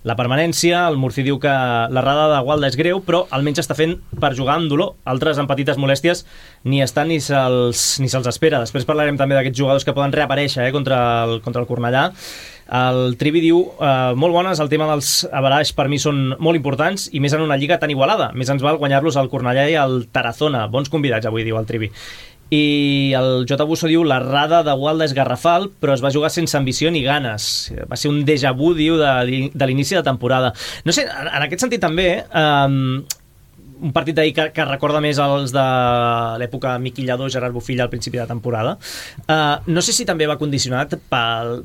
la permanència. El Murci diu que l'errada de Gualda és greu, però almenys està fent per jugar amb dolor. Altres amb petites molèsties ni estan ni se'ls ni se'ls espera. Després parlarem també d'aquests jugadors que poden reaparèixer eh, contra, el, contra el Cornellà. El Trivi diu, eh, molt bones, el tema dels average per mi són molt importants i més en una lliga tan igualada. Més ens val guanyar-los al Cornellà i al Tarazona. Bons convidats avui, diu el Trivi. I el J. Busso diu, l'errada de Gualda és garrafal, però es va jugar sense ambició ni ganes. Va ser un déjà vu, diu, de, de l'inici de temporada. No sé, en, en aquest sentit també... Eh, un partit d'ahir que, que recorda més els de l'època Miquillador, Gerard Bufilla al principi de temporada. Uh, no sé si també va condicionat pel,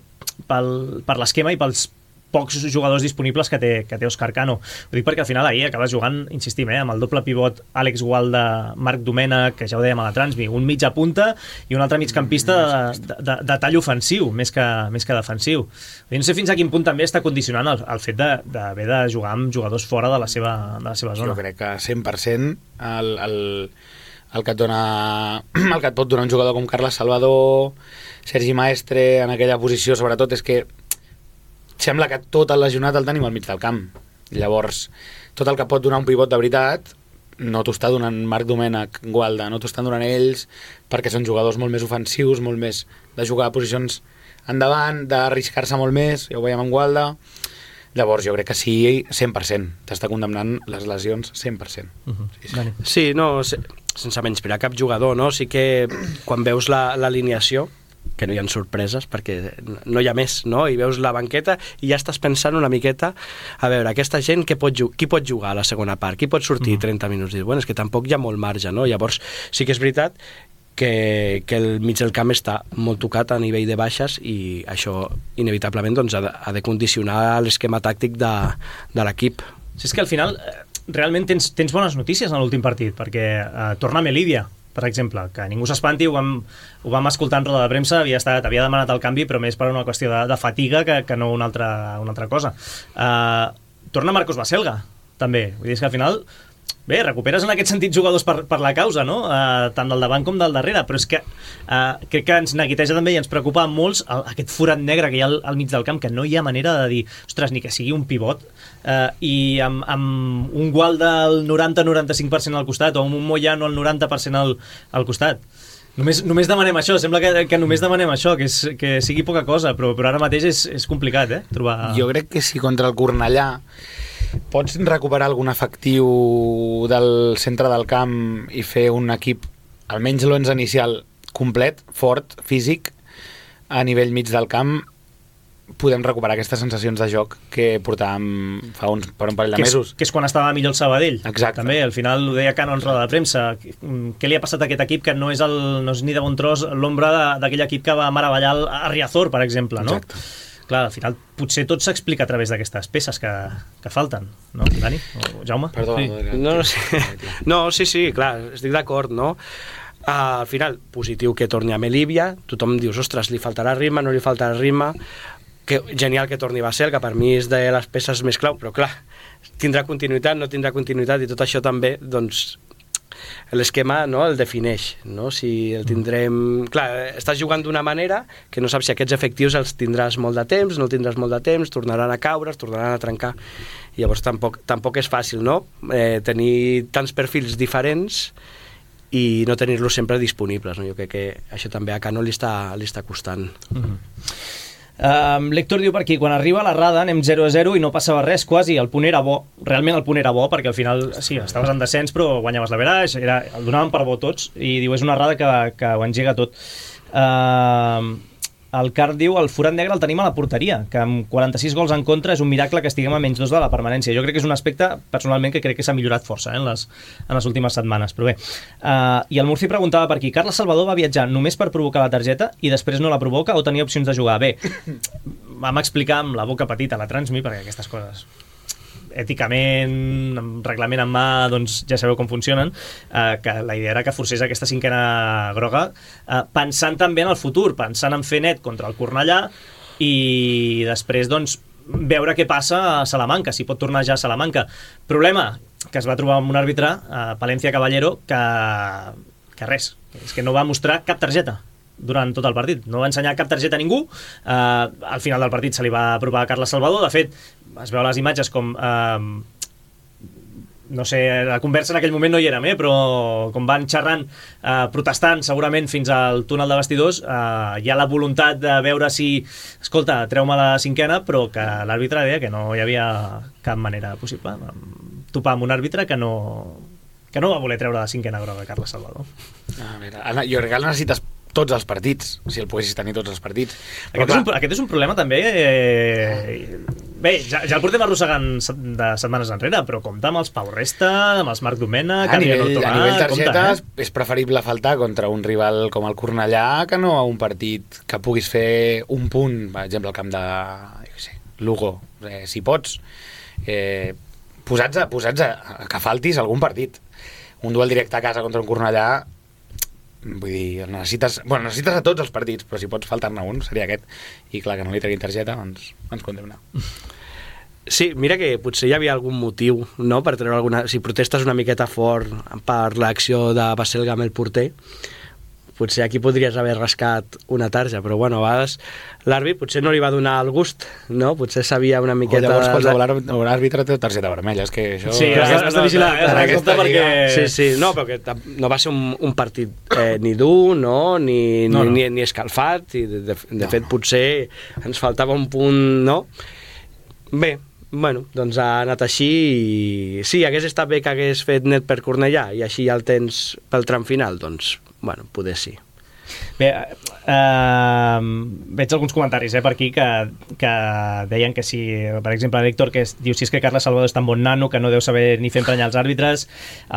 pel, per l'esquema i pels pocs jugadors disponibles que té, que té Òscar Cano. Ho dic perquè al final ahir acabes jugant, insistim, eh, amb el doble pivot Àlex Gualda, Marc Domènech, que ja ho dèiem a la Transmi, un mitja punta i un altre migcampista de, de, de, de tall ofensiu, més que, més que defensiu. No sé fins a quin punt també està condicionant el, el fet d'haver de, de jugar amb jugadors fora de la seva, de la seva zona. Jo crec que cent per cent el, el, el, que et dona, el que et pot donar un jugador com Carles Salvador, Sergi Maestre, en aquella posició, sobretot, és que sembla que tot el lesionat el tenim al mig del camp. Llavors, tot el que pot donar un pivot de veritat no t'ho està donant Marc Domènech, Gualda, no t'ho estan donant ells, perquè són jugadors molt més ofensius, molt més de jugar a posicions endavant, d'arriscar-se molt més, ja ho veiem amb Gualda. Llavors, jo crec que sí, cent per cent. T'està condemnant les lesions cent per cent. Uh-huh. Sí, sí. sí, no, sense menysprear cap jugador, no? Sí que quan veus l'alineació, que no hi ha sorpreses perquè no hi ha més, no? I veus la banqueta i ja estàs pensant una miqueta a veure, aquesta gent que pot qui pot jugar a la segona part, qui pot sortir mm. trenta minuts i dir, bueno, és que tampoc hi ha molt marge, no? Llavors sí que és veritat que, que el mig del camp està molt tocat a nivell de baixes i això inevitablement doncs, ha, de, ha de condicionar l'esquema tàctic de, de l'equip. Sí, és que al final realment tens, tens bones notícies en l'últim partit perquè eh, torna Melívia, per exemple, que ningú s'espanti, ho vam, ho vam escoltar en roda de premsa, havia, estat, havia demanat el canvi, però més per una qüestió de, de fatiga que, que no una altra, una altra cosa. Uh, torna Marcos Baselga, també. Vull dir que al final, bé, recuperes en aquest sentit jugadors per, per la causa, no? Uh, tant del davant com del darrere, però és que uh, crec que ens neguiteja també i ens preocupa molts el, aquest forat negre que hi ha al, al mig del camp, que no hi ha manera de dir, ostres, ni que sigui un pivot, Uh, i amb, amb un Gualda al noranta a noranta-cinc per cent al costat o amb un Moyano al noranta per cent al, al costat. Només, només demanem això, sembla que, que només demanem això, que, és, que sigui poca cosa, però, però ara mateix és, és complicat, eh? Trobar... Jo crec que si contra el Cornellà pots recuperar algun efectiu del centre del camp i fer un equip, almenys l'onze inicial, complet, fort, físic, a nivell mig del camp, podem recuperar aquestes sensacions de joc que portàvem fa uns, per un parell de que és, mesos. Que és quan estava millor el Sabadell. Exacte. També, al final ho deia Cano en roda de premsa. Què li ha passat a aquest equip que no és, el, no és ni de bon tros l'ombra d'aquell equip que va meravellar a Riazor, per exemple, no? Exacte. Clar, al final potser tot s'explica a través d'aquestes peces que, que falten, no, Dani? O Jaume? Perdó, sí. No, no, sí. no, sí, sí, clar, estic d'acord, no? Uh, al final, positiu que torni a Melívia, tothom dius, ostres, li faltarà ritme, no li faltarà ritme, que genial que torni Basel, que per mi és de les peces més clau, però clar, tindrà continuïtat, no tindrà continuïtat, i tot això també, doncs, l'esquema, no, el defineix, no? Si el tindrem... Clar, estàs jugant d'una manera que no saps si aquests efectius els tindràs molt de temps, no els tindràs molt de temps, tornaran a caure, es tornaran a trencar, i llavors tampoc, tampoc és fàcil, no? Eh, tenir tants perfils diferents i no tenir-los sempre disponibles, no? Jo crec que això també a Cano li està, li està costant. Mm-hmm. Um, L'Héctor diu per aquí, quan arriba la Rada anem zero a zero i no passava res quasi, el punt era bo, realment el punt era bo perquè al final, sí, estaves en descens però guanyaves l'averaix, era, el donaven per bo tots i diu, és una Rada que, que ho engega tot. Uh, el Car diu, el forat negre el tenim a la porteria, que amb quaranta-sis gols en contra és un miracle que estiguem a menys dos de la permanència. Jo crec que és un aspecte, personalment, que crec que s'ha millorat força eh, en, les, en les últimes setmanes, però bé. Uh, I el Murci preguntava per aquí, Carles Salvador va viatjar només per provocar la targeta i després no la provoca o tenia opcions de jugar? Bé, vam explicar amb la boca petita a la Transmi, perquè aquestes coses èticament, amb reglament en mà, doncs ja sabeu com funcionen, eh, que la idea era que forcés aquesta cinquena groga, eh, pensant també en el futur, pensant en fer net contra el Cornellà i després, doncs, veure què passa a Salamanca, si pot tornar ja a Salamanca. Problema, que es va trobar amb un àrbitre, eh, Palencia Caballero, que, que res, és que no va mostrar cap targeta durant tot el partit, no va ensenyar cap targeta a ningú. eh, al final del partit se li va apropar a Carles Salvador, de fet es veu les imatges com eh, no sé, la conversa en aquell moment no hi érem, eh, però com van xerrant, eh, protestant segurament fins al túnel de vestidors, eh, hi ha la voluntat de veure si, escolta, treu-me la cinquena, però que l'àrbitre deia que no hi havia cap manera possible, topar amb un àrbitre que no que no va voler treure la cinquena groga a Carles Salvador. A veure, Anna, jo crec que necessites tots els partits, si el poguessis tenir tots els partits. Però aquest, és un, aquest és un problema també... Eh, bé, ja, ja el portem arrossegant de setmanes enrere, però compta amb els Pau Resta, amb els Marc Domènech... A nivell, Tomà, a nivell targetes compta, eh? És preferible faltar contra un rival com el Cornellà que no a un partit que puguis fer un punt, per exemple, al camp de jo què sé, Lugo, eh, si pots, eh, posats, a, posats a, a que faltis algun partit. Un duel directe a casa contra un Cornellà, vull dir, necessites, bueno, necessites a tots els partits, però si pots faltar-ne un seria aquest, i clar, que no li treguin targeta doncs ens condemna. Sí, mira que potser hi havia algun motiu, no?, per treure alguna... Si protestes una miqueta fort per l'acció de Baselga amb el porter, potser aquí podries haver rascat una tarja, però bueno, a vegades l'àrbit potser no li va donar el gust, no? Potser sabia una miqueta... O llavors qualsevol àrbitre té targeta vermella, és que això... Sí, has, has de vigilar, eh? Has de perquè... Sí, sí, no, però que no va ser un, un partit eh, ni dur, no?, ni, no, no. ni, ni escalfat, i de, de, de no, fet no. Potser ens faltava un punt, no? Bé, bueno, doncs ha anat així i... Sí, hagués estat bé que hagués fet net per Cornellà i així ja el tens pel tram final, doncs, bueno, poder sí. Bé, eh, veig alguns comentaris eh, per aquí que, que deien que si, per exemple, l'Héctor que es, diu si és que Carles Salvador és tan bon nano que no deu saber ni fer emprenyar els àrbitres,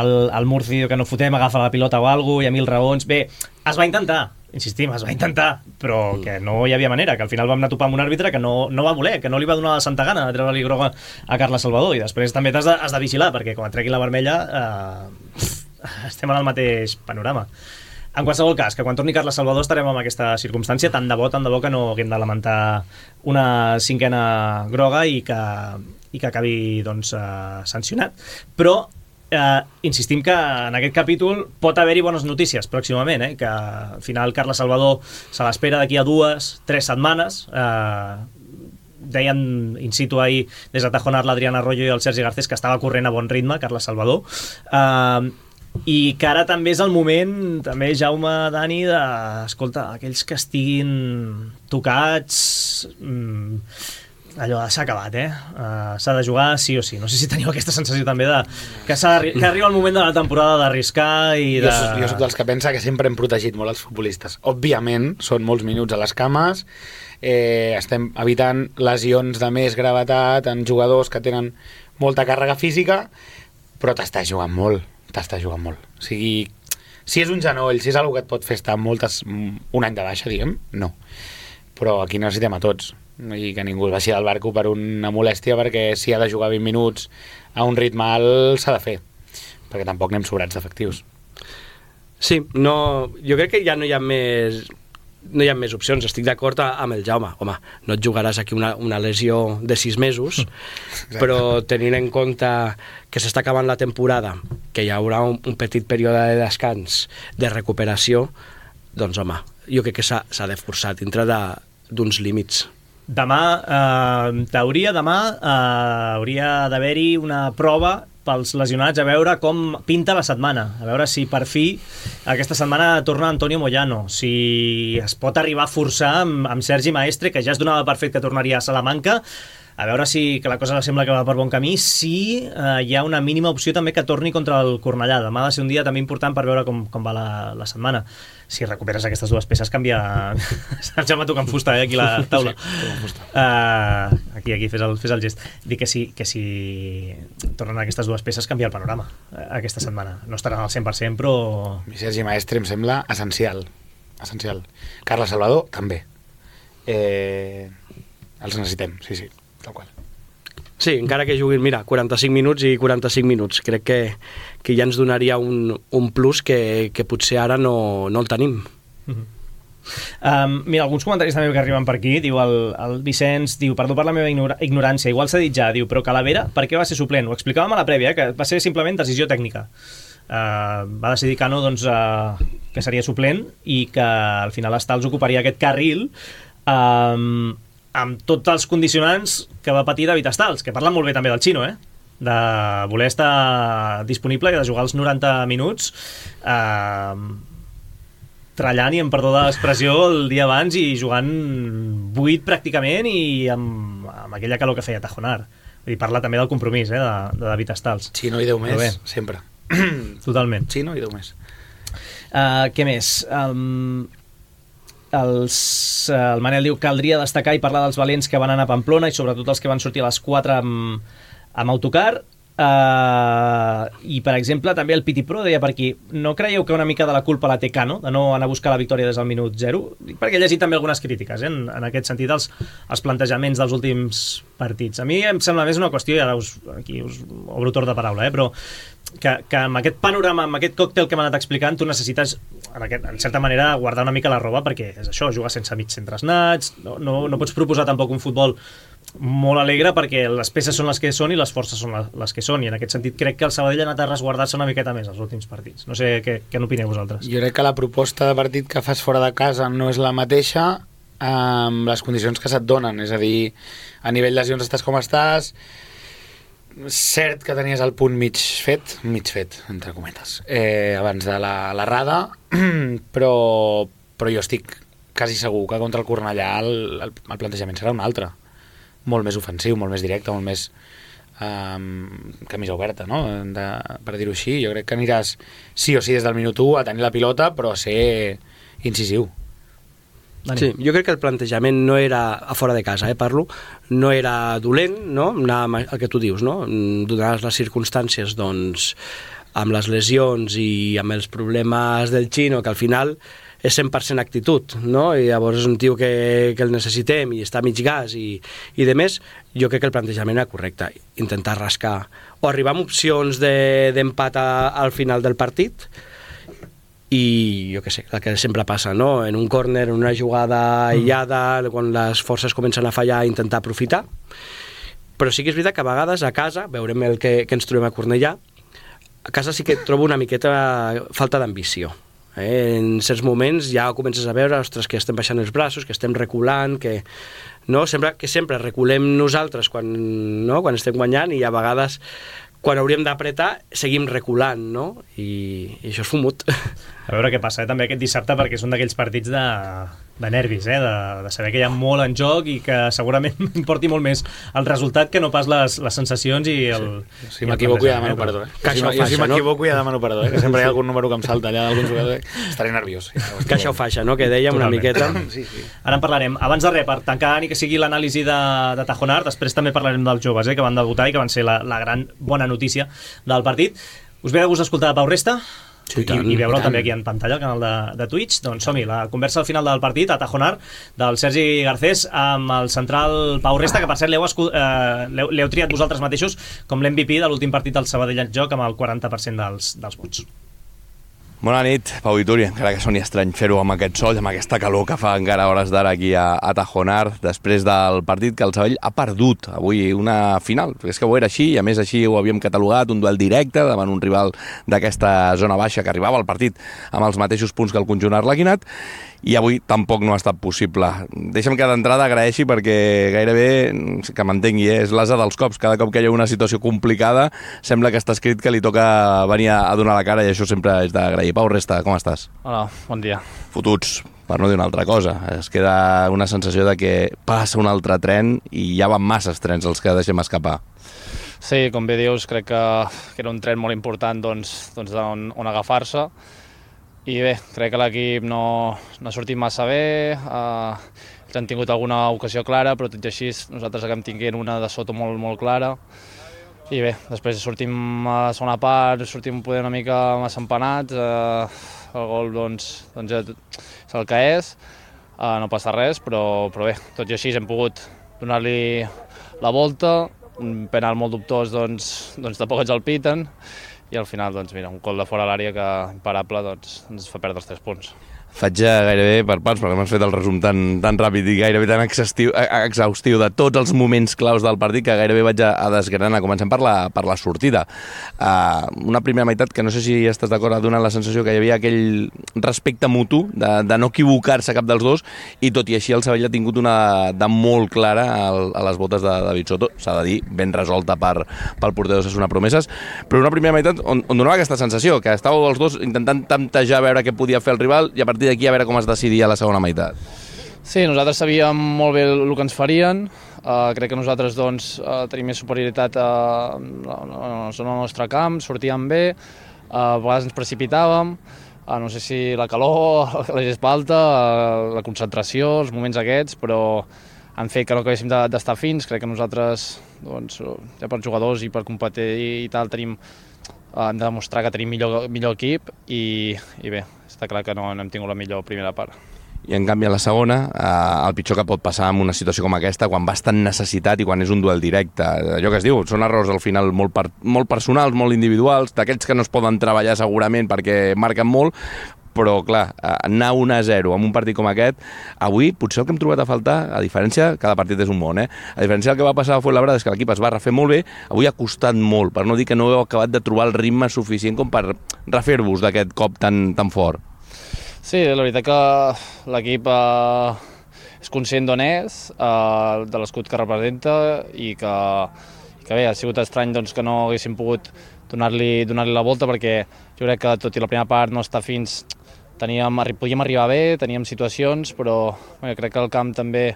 el, el Murci diu que no fotem, agafa la pilota o alguna cosa, hi ha mil raons. Bé, es va intentar, insistim, es va intentar, però que no hi havia manera, que al final vam anar a topar amb un àrbitre que no, no va voler, que no li va donar la santa gana de treure-li groga a Carles Salvador, i després també t'has de, has de vigilar, perquè quan et treguin la vermella eh, estem en el mateix panorama. En qualsevol cas, que quan torni Carles Salvador estarem en aquesta circumstància, tant de bo, tant de bo que no haguem de lamentar una cinquena groga i que, i que acabi doncs, eh, sancionat. Però eh, insistim que en aquest capítol pot haver-hi bones notícies pròximament, eh? Que al final Carles Salvador se l'espera d'aquí a dues, tres setmanes. Eh, deien in situ ahir des de Tajonar l'Adriana Arroyo i el Sergi Garcés que estava corrent a bon ritme Carles Salvador. Eh, i que ara també és el moment, també Jaume, Dani, de, escolta, aquells que estiguin tocats, mmm, allò s'ha acabat, eh? Uh, s'ha de jugar sí o sí. No sé si teniu aquesta sensació també de que, que arriba el moment de la temporada d'arriscar i de... Jo, jo soc dels que pensa que sempre hem protegit molt els futbolistes. Òbviament, són molts minuts a les cames, eh, estem evitant lesions de més gravetat en jugadors que tenen molta càrrega física, però t'estàs jugant molt. T'estàs jugant molt. O sigui, si és un genoll, si és una cosa que et pot fer estar moltes, un any de baixa, diguem, no. Però aquí necessitem a tots. I que ningú es baixi del barco per una molèstia, perquè si ha de jugar vint minuts a un ritme alt s'ha de fer. Perquè tampoc anem sobrats d'efectius. Sí, no, jo crec que ja no hi ha més... no hi ha més opcions, estic d'acord amb el Jaume. Home, no et jugaràs aquí una, una lesió de sis mesos, mm. però tenint en compte que s'està acabant la temporada, que hi haurà un, un petit període de descans, de recuperació, doncs home, jo crec que s'ha de forçar dintre d'uns límits. Demà, eh, en teoria, demà eh, hauria d'haver-hi una prova pels lesionats, a veure com pinta la setmana, a veure si per fi aquesta setmana torna Antonio Moyano, si es pot arribar a forçar amb, amb Sergi Maestre, que ja es donava per fet que tornaria a Salamanca, a veure si que la cosa sembla que va per bon camí, si eh, hi ha una mínima opció també que torni contra el Cornellà. Demà ha de ser un dia també important per veure com, com va la, la setmana. Si recuperes aquestes dues peces, canvia... Ja m'ha tocat fusta, eh, aquí la taula. Sí, uh, aquí, aquí, fes el, fes el gest. Dic que si, que si tornen aquestes dues peces, canvia el panorama eh, aquesta setmana. No estaran al cent per cent, però... Sergi Maestre em sembla essencial. Essencial. Carles Salvador, també. Eh, els necessitem, sí, sí. Tal qual. Sí, encara que juguin, mira, quaranta-cinc minuts i quaranta-cinc minuts. Crec que, que ja ens donaria un, un plus que, que potser ara no, no el tenim. Mm-hmm. um, mira, alguns comentaris també que arriben per aquí. Diu el, el Vicenç, diu, perdó per la meva ignora, ignorància, igual s'ha dit ja, diu, però Calavera, per què va ser suplent? Ho explicàvem a la prèvia, eh, que va ser simplement decisió tècnica. Uh, va decidir Cano doncs, uh, que seria suplent i que al final Stals ocuparia aquest carril um, amb tots els condicionants que va patir David Stals, que parlen molt bé també del Xino, eh? De voler estar disponible i de jugar els noranta minuts eh, trallant, i em perdó de l'expressió, el dia abans i jugant buit pràcticament i amb, amb aquella calor que feia Tajonar. Vull dir, parla també del compromís, eh, de, de David Stals. Xino i deu més, sempre. Totalment. Xino i deu més. Uh, què més? Um, Els, el Manel diu que caldria destacar i parlar dels valents que van anar a Pamplona i sobretot els que van sortir a les quatre amb, amb autocar. Uh, i per exemple també el Piti Pro deia per aquí, no creieu que una mica de la culpa la té Cano de no anar a buscar la victòria des del minut zero? Perquè he llegit també algunes crítiques, eh, en, en aquest sentit els, els plantejaments dels últims partits. A mi em sembla més una qüestió, i ara us, aquí us obro torn de paraula, eh, però que, que amb aquest panorama, amb aquest còctel que m'ha anat explicant, tu necessites en, aquest, en certa manera guardar una mica la roba, perquè és això, jugar sense mig centres nats, no, no, no pots proposar tampoc un futbol molt alegre, perquè les peces són les que són i les forces són les que són, i en aquest sentit crec que el Sabadell ha anat a resguardar-se una miqueta més els últims partits. No sé què, què n'opineu vosaltres. Jo crec que la proposta de partit que fas fora de casa no és la mateixa amb les condicions que se't donen, és a dir, a nivell lesions estàs com estàs, cert que tenies el punt mig fet, mig fet, entre cometes, eh, abans de la, la rada, però, però jo estic quasi segur que contra el Cornellà el, el, el plantejament serà un altre, molt més ofensiu, molt més directe, molt més um, camisa oberta, no? De, per dir-ho així. Jo crec que aniràs sí o sí des del minut u a tenir la pilota, però a ser incisiu. Sí, jo crec que el plantejament no era a fora de casa, eh, parlo, no era dolent, no? Anar el que tu dius, no? Donades les circumstàncies, doncs, amb les lesions i amb els problemes del Xino, que al final és cent per cent actitud, no? I llavors és un tio que, que el necessitem i està a mig gas i, i de més, jo crec que el plantejament era correcte, intentar rascar o arribar amb opcions d'empat de, al final del partit i jo què sé, el que sempre passa, no? En un córner, en una jugada aïllada, mm. quan les forces comencen a fallar, intentar aprofitar, però sí que és veritat que a vegades a casa, veurem el que, que ens trobem a Cornellà, a casa sí que trobo una miqueta falta d'ambició. Eh, en certs moments ja comences a veure, ostres, que estem baixant els braços, que estem reculant, que no, sempre, que sempre reculem nosaltres quan, no, quan estem guanyant, i a vegades quan hauríem d'apretar seguim reculant, no? I, i això és fumut. A veure què passa, eh? També aquest dissabte, perquè és un d'aquells partits de, de nervis, eh? de, de saber que hi ha molt en joc i que segurament importi molt més el resultat que no pas les, les sensacions i el... Sí. Si m'equivoco ja demano perdó, eh? Que jo si m'equivoco ja demano perdó, eh? Que sempre hi ha algun número que em salta allà d'algun jugador, eh? Estaré nerviós. Ja, caixa o faixa, no? Que dèiem una miqueta. Sí, sí. Ara en parlarem. Abans de res, per tancar ni que sigui l'anàlisi de, de Tajonar, després també parlarem dels joves, eh? Que van debutar i que van ser la, la gran bona notícia del partit. Us ve de gust escoltar Pau Resta? Sí, i, i veure'l també aquí en pantalla al canal de, de Twitch. Doncs som-hi, la conversa al final del partit a Tajonar del Sergi Garcés amb el central Pau Resta, que per cert l'heu eh, triat vosaltres mateixos com l'M V P de l'últim partit del Sabadell en joc amb el quaranta per cent dels, dels vots. Bona nit, Pau i Túria, encara que soni estrany fer-ho amb aquest sol, amb aquesta calor que fa encara hores d'ara aquí a, a Tajonar, després del partit que el Sabadell ha perdut avui una final. És que ho era així, i a més així ho havíem catalogat, un duel directe davant un rival d'aquesta zona baixa que arribava al partit amb els mateixos punts que el conjunt arlequinat, i avui tampoc no ha estat possible. Deixa'm que d'entrada agraeixi perquè gairebé, que m'entengui, eh, és l'asa dels cops. Cada cop que hi ha una situació complicada sembla que està escrit que li toca venir a donar la cara, i això sempre és d'agrair. Pau Resta, com estàs? Hola, bon dia. Fotuts, per no dir una altra cosa. Es queda una sensació de que passa un altre tren i ja van masses trens els que deixem escapar. Sí, com bé dius, crec que, que era un tren molt important doncs, doncs on, on agafar-se. I bé, crec que l'equip no, no ha sortit massa bé, eh, ells han tingut alguna ocasió clara, però tot i així nosaltres acabem tinguent una de sota molt, molt clara. I bé, després sortim a la segona part, sortim poder una mica massa empanats, eh, el gol doncs, doncs és el que és, eh, no passa res, però, però bé, tot i així hem pogut donar-li la volta, un penal molt dubtós doncs, doncs tampoc ens el piten, i al final, doncs, mira, un gol de fora a l'àrea que, imparable, doncs, ens fa perdre els tres punts. Faig gairebé per parts, perquè m'has fet el resum tan, tan ràpid i gairebé tan exhaustiu, exhaustiu de tots els moments claus del partit que gairebé vaig a, a desgranar. Comencem per la, per la sortida. Uh, una primera meitat que no sé si estàs d'acord, ha donat la sensació que hi havia aquell respecte mutu de, de no equivocar-se cap dels dos, i tot i així el Sabadell ha tingut una de molt clara a, a les botes de David Soto, s'ha de dir, ben resolta per, pel porter d'Osasuna Promeses, però una primera meitat on, on donava aquesta sensació, que estàveu els dos intentant temptejar a veure què podia fer el rival, i a partir d'aquí a veure com es decidia la segona meitat. Sí, nosaltres sabíem molt bé el que ens farien, uh, crec que nosaltres doncs, uh, tenim més superioritat a la zona del nostre camp, sortíem bé, uh, a vegades ens precipitàvem, uh, no sé si la calor, la gespa alta, uh, la concentració, els moments aquests, però han fet que no acabéssim d'estar fins. Crec que nosaltres, doncs, ja per jugadors i per competir i tal, tenim, hem de demostrar que tenim millor, millor equip i, i bé, està clar que no, no hem tingut la millor primera part. I en canvi a la segona, eh, el pitjor que pot passar en una situació com aquesta, quan vas tan necessitat i quan és un duel directe, allò que es diu, són errors al final molt, per, molt personals, molt individuals, d'aquests que no es poden treballar segurament perquè marquen molt, però clar, anar un a zero en un partit com aquest, avui potser el que hem trobat a faltar, a diferència, cada partit és un món, eh? A diferència del que va passar a Fuenlabrada és que l'equip es va refer molt bé, avui ha costat molt, per no dir que no heu acabat de trobar el ritme suficient com per refer-vos d'aquest cop tan, tan fort. Sí, la veritat que l'equip eh, és conscient d'on és, eh, de l'escut que representa i que, que bé, ha sigut estrany doncs, que no haguéssim pogut donar-li donar-li la volta, perquè jo crec que tot i la primera part no està fins, teníem, podíem arribar bé, teníem situacions, però bé, crec que el camp també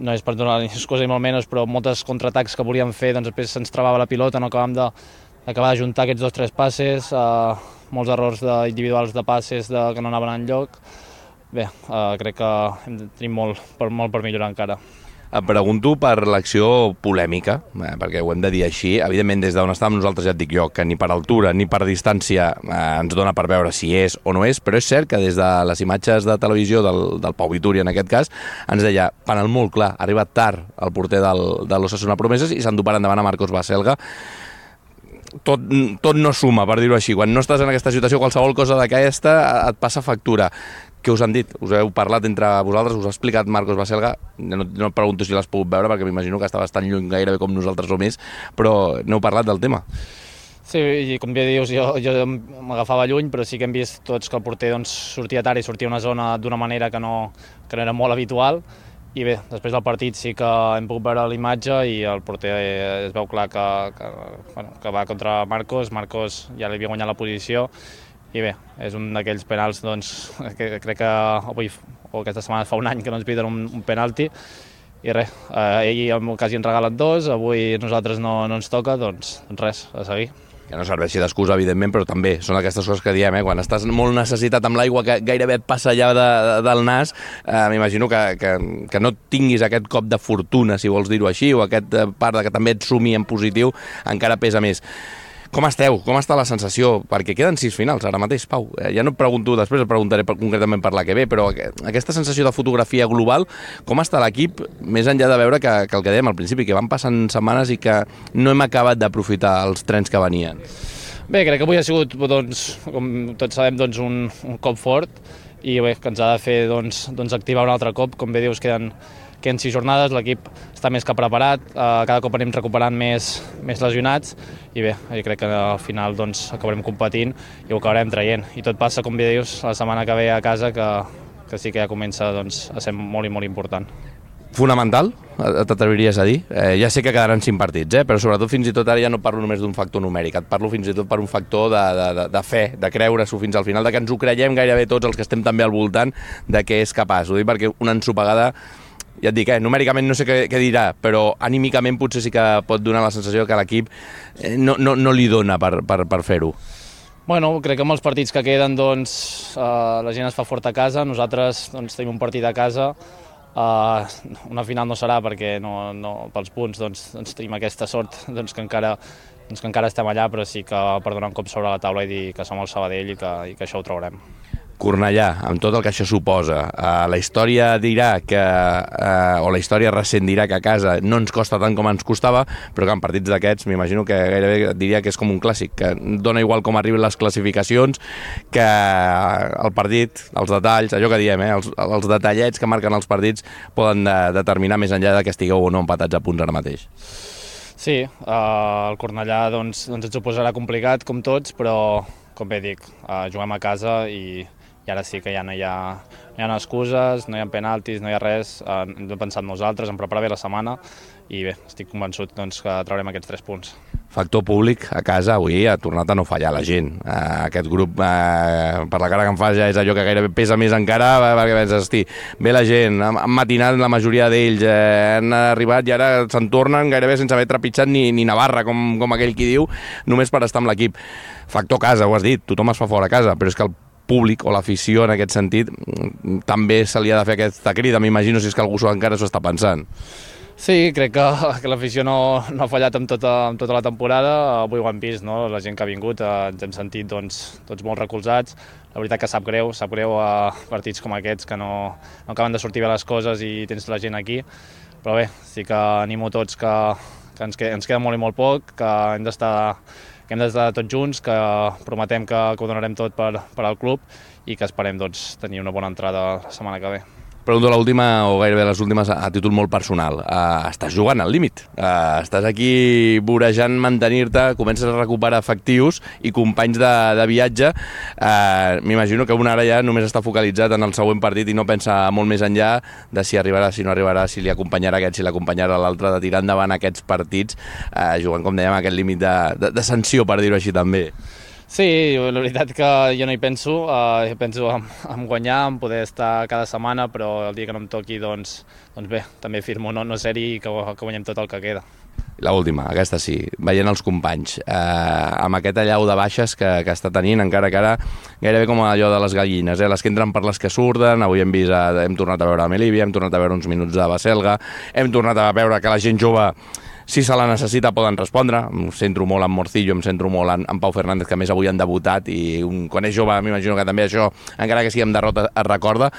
no és per donar ni excusa ni molt menys, però moltes contraatacs que volíem fer, doncs després se'ns travava la pilota, no acabàvem d'acabar de juntar aquests dos o tres passes, eh, molts errors de, individuals de passes de, que no anaven enlloc. Bé, eh, crec que hem, tenim molt per, molt per millorar encara. Et pregunto per l'acció polèmica, eh, perquè ho hem de dir així. Evidentment, des d'on estàvem nosaltres, ja et dic jo, que ni per altura ni per distància eh, ens dona per veure si és o no és, però és cert que des de les imatges de televisió del, del Pau Vitúria, en aquest cas, ens deia, panel molt clar, ha arribat tard el porter del, de l'Osasuna Promeses i s'endú per endavant a Marcos Baselga. Tot, tot no suma, per dir-ho així. Quan no estàs en aquesta situació, qualsevol cosa d'aquesta et passa factura. Què us han dit? Us heu parlat entre vosaltres? Us ha explicat Marcos Baselga? No, no et pregunto si l'has pogut veure, perquè m'imagino que estaves tan lluny gairebé com nosaltres o més, però n'heu parlat del tema? Sí, i com bé dius, jo, jo m'agafava lluny, però sí que hem vist tots que el porter doncs, sortia tard i sortia a una zona d'una manera que no, que no era molt habitual, i bé, després del partit sí que hem pogut veure l'imatge i el porter es veu clar que, que, bueno, que va contra Marcos, Marcos ja li havia guanyat la posició i bé, és un d'aquells penals doncs, que crec que avui o aquesta setmana fa un any que no ens piden un, un penalti i res, eh, ell quasi ens regalen dos, avui nosaltres no, no ens toca, doncs, doncs res, a seguir. Que no serveixi d'excusa, evidentment, però també són aquestes coses que diem, eh? Quan estàs molt necessitat amb l'aigua que gairebé et passa allà de, de, del nas, eh, m'imagino que, que, que no tinguis aquest cop de fortuna, si vols dir-ho així, o aquest part de que també et sumi en positiu, encara pesa més. Com esteu? Com està la sensació? Perquè queden sis finals ara mateix, Pau. Eh, ja no et pregunto, després et preguntaré per, concretament per la que ve, però aquesta sensació de fotografia global, com està l'equip, més enllà de veure que, que el que dèiem al principi, que van passant setmanes i que no hem acabat d'aprofitar els trens que venien? Bé, crec que avui ha sigut, doncs, com tots sabem, doncs, un, un cop fort i bé, que ens ha de fer doncs, doncs, activar un altre cop. Com bé dius, queden que en sis jornades l'equip està més que preparat, eh, cada cop anem recuperant més, més lesionats i bé, jo crec que al final doncs, acabarem competint i ho acabarem traient. I tot passa, com bé dius, la setmana que ve a casa que, que sí que ja comença doncs, a ser molt i molt important. Fonamental, t'atreviries a dir? Eh, ja sé que quedaran cinc partits, eh? Però sobretot fins i tot ara ja no parlo només d'un factor numèric, et parlo fins i tot per un factor de, de, de fe, de creure-s'ho fins al final, de que ens ho creiem gairebé tots els que estem també al voltant de què és capaç. Ho dic perquè una ensopegada, ja et dic, eh, numèricament no sé què, què dirà, però anímicament potser sí que pot donar la sensació que l'equip eh, no, no, no li dona per, per, per fer-ho. Bueno, crec que amb els partits que queden doncs, eh, la gent es fa fort a casa, nosaltres doncs, tenim un partit a casa, eh, una final no serà perquè no, no, pels punts doncs, doncs, tenim aquesta sort doncs, que, encara, doncs, que encara estem allà, però sí que per donar un cop sobre la taula i dir que som el Sabadell i que, i que això ho traurem. Cornellà, amb tot el que això suposa, eh, la història dirà que, eh, o la història recent dirà que a casa no ens costa tant com ens costava, però que en partits d'aquests m'imagino que gairebé diria que és com un clàssic, que dona igual com arriben les classificacions, que el partit, els detalls, allò que diem, eh, els, els detallets que marquen els partits poden de, determinar més enllà de que estigueu o no empatats a punts ara mateix. Sí, eh, el Cornellà doncs, doncs ens ho posarà complicat, com tots, però com bé dic, eh, juguem a casa i i ara sí que ja no hi ha, no hi ha excuses, no hi ha penaltis, no hi ha res, eh, hem pensat nosaltres, hem preparat bé la setmana i bé, estic convençut doncs, que traurem aquests tres punts. Factor públic a casa avui ha tornat a no fallar la gent. Eh, aquest grup, eh, per la cara que em fas, ja és allò que gairebé pesa més encara, perquè penses, hosti, ve la gent, han matinat la majoria d'ells, eh, han arribat i ara se'n tornen gairebé sense haver trepitjat ni, ni Navarra, com, com aquell qui diu, només per estar amb l'equip. Factor casa, ho has dit, tothom es fa fora a casa, però és que el públic o l'afició en aquest sentit també se li ha de fer aquesta crida, m'imagino si és que algú encara s'ho està pensant. Sí, crec que, que l'afició no, no ha fallat amb tota, amb tota la temporada, avui ho hem vist, no? La gent que ha vingut eh, ens hem sentit doncs, tots molt recolzats, la veritat que sap greu, sap greu a partits com aquests que no, no acaben de sortir bé les coses i tens la gent aquí, però bé, sí que animo tots que, que ens, queda, ens queda molt i molt poc, que hem d'estar que hem d'estar tots junts, que prometem que, que ho donarem tot per, per al club i que esperem doncs, tenir una bona entrada la setmana que ve. Pregunto l'última, o gairebé les últimes, a títol molt personal. Uh, estàs jugant al límit. Uh, estàs aquí vorejant mantenir-te, comences a recuperar efectius i companys de, de viatge. Uh, M'imagino que un ara ja només està focalitzat en el següent partit i no pensa molt més enllà de si arribarà, si no arribarà, si li acompanyarà aquest, si l'acompanyarà l'altre, de tirar endavant aquests partits, uh, jugant, com dèiem, aquest límit de, de, de sanció, per dir-ho així també. Sí, la veritat que jo no hi penso, uh, jo penso en, en guanyar, en poder estar cada setmana, però el dia que no em toqui, doncs, doncs bé, també firmo no, no ser-hi i que, que guanyem tot el que queda. La última, aquesta sí, veient els companys, eh, amb aquest allau de baixes que, que està tenint, encara que ara gairebé com allò de les gallines, eh, les que entren per les que surten, avui hem vist, eh, hem tornat a veure a Melívia, hem tornat a veure uns minuts de Baselga, hem tornat a veure que la gent jove, si se la necessita, poden respondre. Em centro molt en Morcillo, em centro molt en, en Pau Fernández, que més avui han debutat, i un, quan és jove m'imagino que també això, encara que sigui amb derrota, es recorda.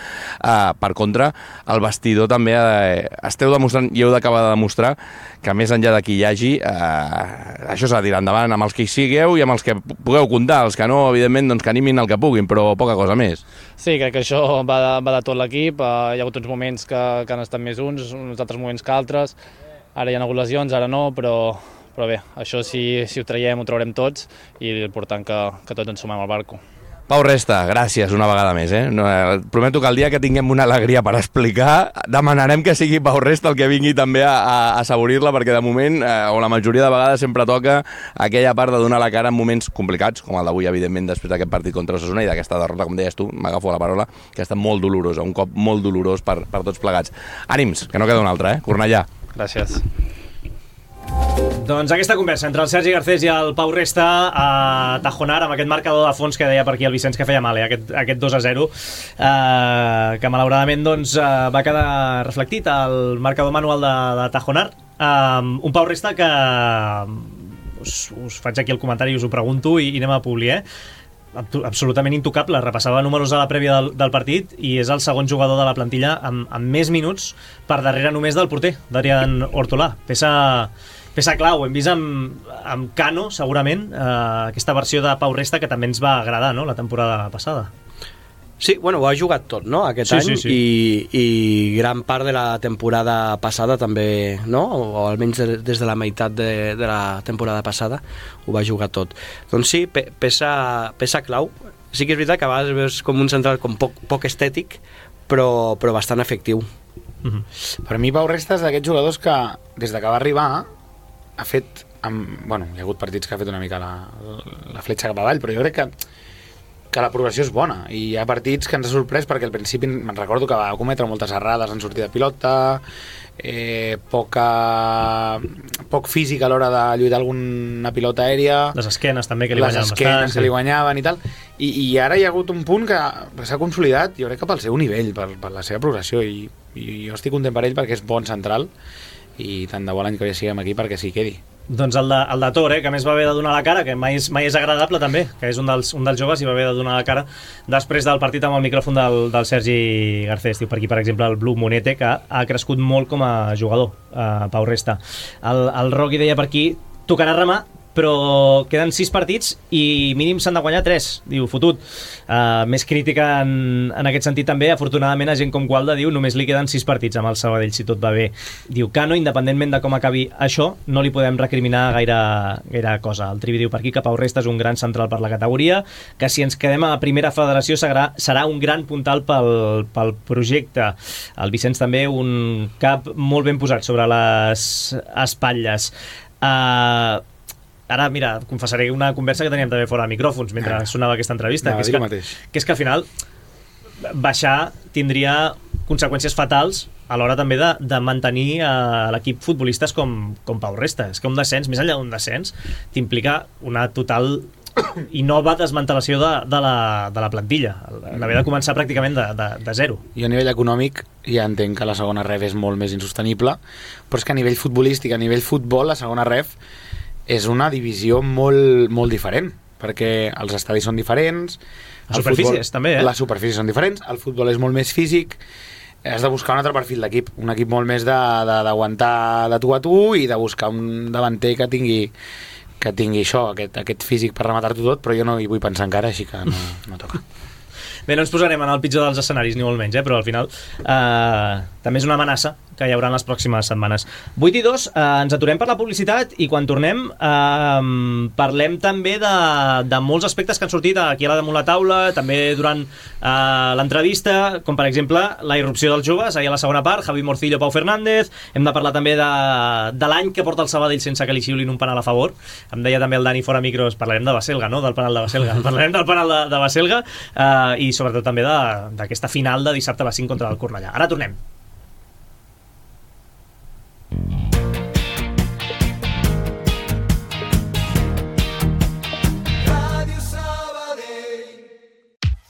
Uh, per contra, el vestidor també uh, esteu demostrant, i heu d'acabar de demostrar, que més enllà de qui hi hagi, uh, això s'ha de tirar endavant amb els que hi sigueu i amb els que pugueu comptar, els que no, evidentment, doncs que animin el que puguin, però poca cosa més. Sí, crec que això va de, va de tot l'equip, uh, hi ha hagut uns moments que, que han estat més uns, uns altres moments que altres. Ara hi ha hagut lesions, ara no, però, però bé, això si, si ho traiem ho traurem tots i l'important que, que tots ens sumem al barco. Pau Resta, gràcies una vegada més. Eh? No, eh, prometo que el dia que tinguem una alegria per explicar, demanarem que sigui Pau Resta el que vingui també a, a, a assaborir-la, perquè de moment, eh, o la majoria de vegades, sempre toca aquella part de donar la cara en moments complicats, com el d'avui, evidentment, després d'aquest partit contra Osasuna i d'aquesta derrota, com deies tu, m'agafo la paraula, que ha estat molt dolorosa, un cop molt dolorós per, per tots plegats. Ànims, que no queda un altre, eh? Cornellà. Gràcies. Doncs aquesta conversa entre el Sergi Garcés i el Pau Resta a Tajonar, amb aquest marcador de fons que deia per aquí el Vicenç que feia mal, eh? aquest, aquest dos a zero, eh, que malauradament doncs, eh, va quedar reflectit al marcador manual de, de Tajonar. Eh, un Pau Resta que us, us faig aquí el comentari i us ho pregunto i, i anem a publi, eh? absolutament intocable, repassava números a la prèvia del, del partit i és el segon jugador de la plantilla amb, amb més minuts per darrere només del porter, d'Adrián Hortolà. Peça, peça clau, hem vist amb, amb Cano, segurament, eh, aquesta versió de Pau Resta que també ens va agradar, no?, la temporada passada. Sí, bueno, ho ha jugat tot, no?, aquest sí, any, sí, sí. I, i gran part de la temporada passada també, no?, o almenys de, des de la meitat de, de la temporada passada ho va jugar tot. Doncs sí, pe, peça, peça clau. Sí que és veritat que a vegades veus com un central com poc, poc estètic, però, però bastant efectiu. Mm-hmm. Per mi Pau Resta és d'aquests jugadors que des de que va arribar ha fet, amb, bueno, hi ha hagut partits que ha fet una mica la, la fletxa cap avall, però jo crec que que la progressió és bona i hi ha partits que ens ha sorprès perquè al principi me'n recordo que va cometre moltes errades en sortida de pilota, eh, poca poc físic a l'hora de lluitar alguna pilota aèria, les esquenes també que li les guanyaven esquenes bastant, que sí. li guanyaven i tal, I, i ara hi ha hagut un punt que s'ha consolidat, jo crec que pel seu nivell, per, per la seva progressió, i, i jo estic content per ell perquè és bon central i tant de bo l'any que ve siguem aquí perquè s'hi quedi. Doncs el de, el de Tor, eh, que més va haver de donar la cara, que mai és, mai és agradable també, que és un dels, un dels joves i va haver de donar la cara després del partit amb el micròfon del, del Sergi Garcés. Diu per aquí, per exemple, el Blu Monete, que ha crescut molt com a jugador, eh, Pau Resta. El, el Roqui deia per aquí, tocarà remar, però queden sis partits i mínim s'han de guanyar tres, diu, fotut. Uh, més crítica en, en aquest sentit també, afortunadament, a gent com Gualda diu només li queden sis partits amb el Sabadell si tot va bé. Diu, Cano, independentment de com acabi això, no li podem recriminar gaire, gaire cosa. El Trivi diu per aquí que Pau Resta és un gran central per la categoria, que si ens quedem a primera federació serà, serà un gran puntal pel, pel projecte. El Vicenç també, un cap molt ben posat sobre les espatlles. Uh, Ara, mira, confessaré una conversa que teníem també fora de micròfons mentre ah. sonava aquesta entrevista, no, que, és que, que és que al final baixar tindria conseqüències fatals a l'hora també de, de mantenir a l'equip futbolistes com, com Pau Resta. És que un descens, més enllà d'un descens, t'implica una total i nova desmantelació de, de, la, de la plantilla, l'haver de començar pràcticament de, de, de zero. I a nivell econòmic ja entenc que la segona ref és molt més insostenible, però és que a nivell futbolístic, a nivell futbol, la segona ref és una divisió molt, molt diferent, perquè els estadis són diferents, les superfícies futbol, també, eh? Les superfícies són diferents, el futbol és molt més físic, has de buscar un altre perfil d'equip, un equip molt més d'aguantar de, de, de tu a tu i de buscar un davanter que tingui que tingui això, aquest, aquest físic per rematar-t'ho tot, però jo no hi vull pensar encara, així que no, no toca. Bé, no ens posarem en el pitjor dels escenaris, ni molt menys, eh? Però al final eh, també és una amenaça que hi haurà en les pròximes setmanes. vuit i dos, eh, ens aturem per la publicitat i quan tornem eh, parlem també de, de molts aspectes que han sortit aquí a la damunt la taula, també durant eh, l'entrevista, com per exemple la irrupció dels joves, ahir a la segona part, Javi Morcillo, Pau Fernández, hem de parlar també de, de l'any que porta el Sabadell sense que li xiulin un penal a favor. Em deia també el Dani fora micros, parlarem de Baselga, no? Del penal de Baselga. Parlarem del penal de, de Baselga eh, i sobretot també d'aquesta final de dissabte a les cinc contra el Cornellà. Ara tornem.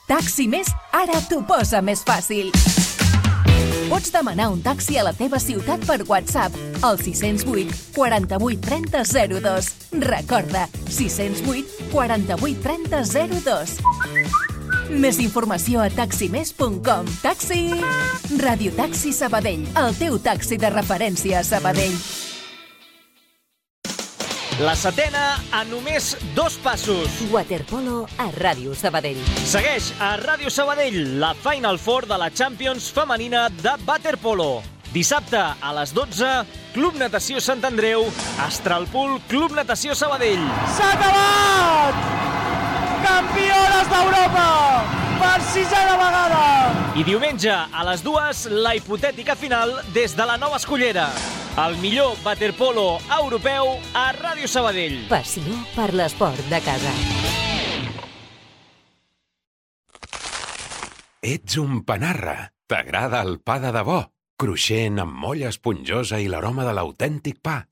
Taxi Més ara t'ho posa més fàcil. Pots demanar un taxi a la teva ciutat per WhatsApp al sis zero vuit, quaranta-vuit, trenta, zero dos. Recorda, sis zero vuit, quaranta-vuit, trenta, zero dos. Més informació a taxi més punt com. Taxi! Radio Taxi Sabadell, el teu taxi de referència a Sabadell. La setena a només dos passos. Waterpolo a Ràdio Sabadell. Segueix a Ràdio Sabadell la Final Four de la Champions femenina de waterpolo. Dissabte a les dotze, Club Natació Sant Andreu, Astralpool, Club Natació Sabadell. S'ha acabat! Campiones d'Europa! Per sisena vegada! I diumenge, a les dues, la hipotètica final des de la Nova Escullera. El millor waterpolo europeu a Ràdio Sabadell. Passió per l'esport de casa. Ets un panarra. T'agrada el pa de debò? Cruixent, amb molla esponjosa i l'aroma de l'autèntic pa.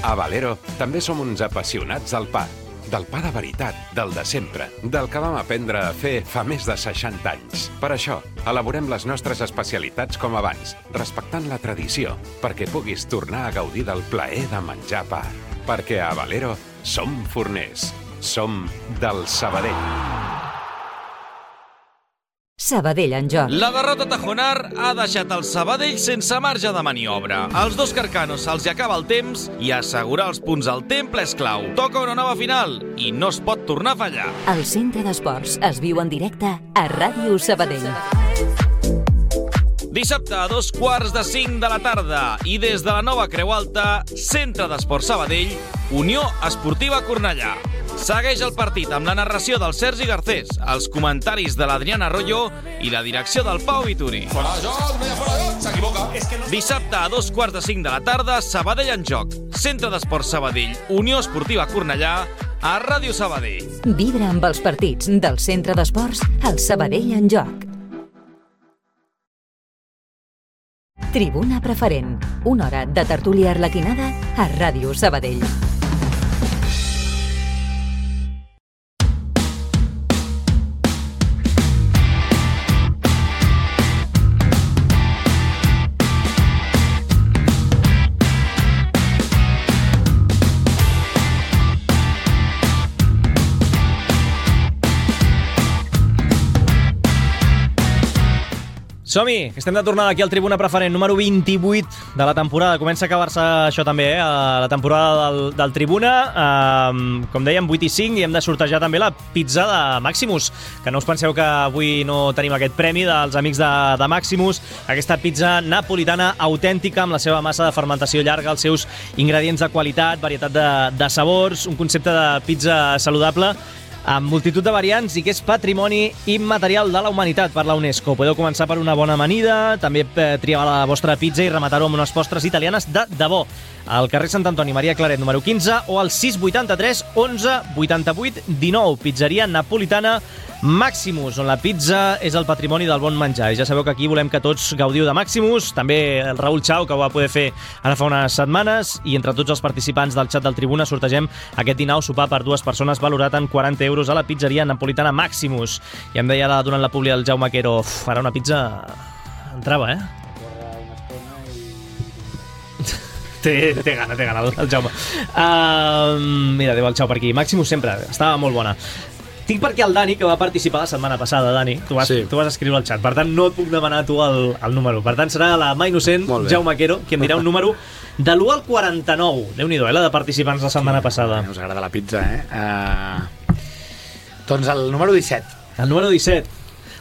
A Valero també som uns apassionats del pa. Del pa de veritat, del de sempre, del que vam aprendre a fer fa més de seixanta anys. Per això, elaborem les nostres especialitats com abans, respectant la tradició, perquè puguis tornar a gaudir del plaer de menjar pa. Perquè a Valero som forners. Som del Sabadell. Sabadell en joc. La derrota tajonar ha deixat el Sabadell sense marge de maniobra. Als dos carcanos se'ls acaba el temps i assegurar els punts al temple és clau. Toca una nova final i no es pot tornar a fallar. El Centre d'Esports es viu en directe a Ràdio Sabadell. Dissabte a dos quarts de cinc de la tarda i des de la nova Creu Alta, Centre d'Esports Sabadell, Unió Esportiva Cornellà. Segueix el partit amb la narració del Sergi Garcés, els comentaris de l'Adriana Arroyo i la direcció del Pau Vituri. Fora de joc, no hi ha fora de joc, s'equivoca. Dissabte a dos quarts de cinc de la tarda, Sabadell en joc. Centre d'Esports Sabadell, Unió Esportiva Cornellà, a Ràdio Sabadell. Vibra amb els partits del Centre d'Esports al Sabadell en joc. Tribuna Preferent, una hora de tertúlia arlequinada a Ràdio Sabadell. Som-hi, que estem de tornada aquí al Tribuna Preferent número vint-i-vuit de la temporada. Comença a acabar-se això també, eh? La temporada del, del Tribuna. Um, com dèiem, vuit i cinc, i hem de sortejar també la pizza de Maximus. Que no us penseu que avui no tenim aquest premi dels amics de, de Maximus. Aquesta pizza napolitana autèntica amb la seva massa de fermentació llarga, els seus ingredients de qualitat, varietat de, de sabors, un concepte de pizza saludable amb multitud de variants i que és patrimoni immaterial de la humanitat per la UNESCO. Podeu començar per una bona amanida, també triar la vostra pizza i rematar-ho amb unes postres italianes de debò. Al carrer Sant Antoni, Maria Claret, número quinze, o al sis vuitanta-tres onze vuitanta-vuit dinou. Pizzeria napolitana Maximus, on la pizza és el patrimoni del bon menjar. I ja sabeu que aquí volem que tots gaudiu de Maximus, també el Raül Chau, que ho va poder fer ara fa unes setmanes, i entre tots els participants del xat del Tribuna sortegem aquest dinar o sopar per dues persones valorat en quaranta euros a la pizzeria napolitana Maximus. I em deia ara, durant la publi del Jaume Quero, uf, ara una pizza entrava, eh? Té, té gana, té gana el Jaume. Uh, mira, diu el Xau per aquí. Maximus sempre, estava molt bona. Tinc perquè el Dani, que va participar la setmana passada, Dani, tu vas, sí. tu vas escriure al xat, per tant no et puc demanar tu el, el número. Per tant serà la mà innocent, Jaume Quero, qui em dirà un número de l'u al quaranta-nou. Déu-n'hi-do, eh, la de participants la setmana sí, passada. Us agrada la pizza, eh? Uh, doncs el número disset. El número disset.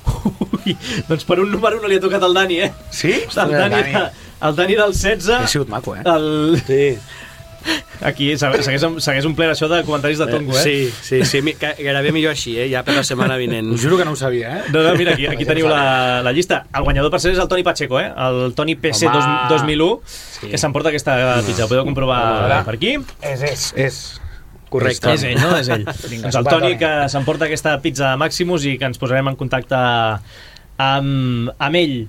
Ui, doncs per un número no li ha tocat al Dani, eh? Sí? El Dani, Dani. El Dani del setze... Ha sigut maco, eh? El... Sí. Aquí segueix, segueix un ple això de comentaris de tongo, eh? Sí, sí, sí, gairebé millor així, eh? Ja per la setmana vinent. Us juro que no ho sabia, eh? No, no, mira, aquí, aquí teniu la, la llista. El guanyador per ser és el Toni Pacheco, eh? El Toni P C dos mil u, sí. Que s'emporta aquesta pizza. Ho podeu comprovar no, per aquí. És, és, és. Correcte. És ell, no? És ell. Doncs el Toni que s'emporta aquesta pizza de Maximus i que ens posarem en contacte amb, amb ell.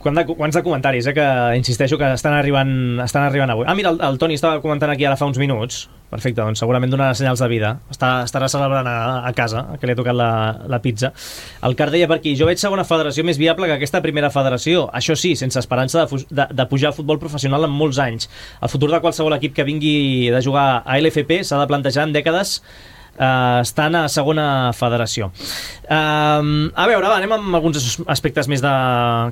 Quants de, quants de comentaris, eh, que insisteixo que estan arribant, estan arribant avui. Ah, mira, el, el Toni estava comentant aquí ara fa uns minuts. Perfecte, doncs segurament donarà senyals de vida. Està, estarà celebrant a, a casa, que li ha tocat la, la pizza. El Car deia per aquí, jo veig segona federació més viable que aquesta primera federació. Això sí, sense esperança de, de, de pujar a futbol professional en molts anys. El futur de qualsevol equip que vingui de jugar a L F P s'ha de plantejar en dècades Uh, estan a segona federació. Uh, a veure, va, anem amb alguns aspectes més de,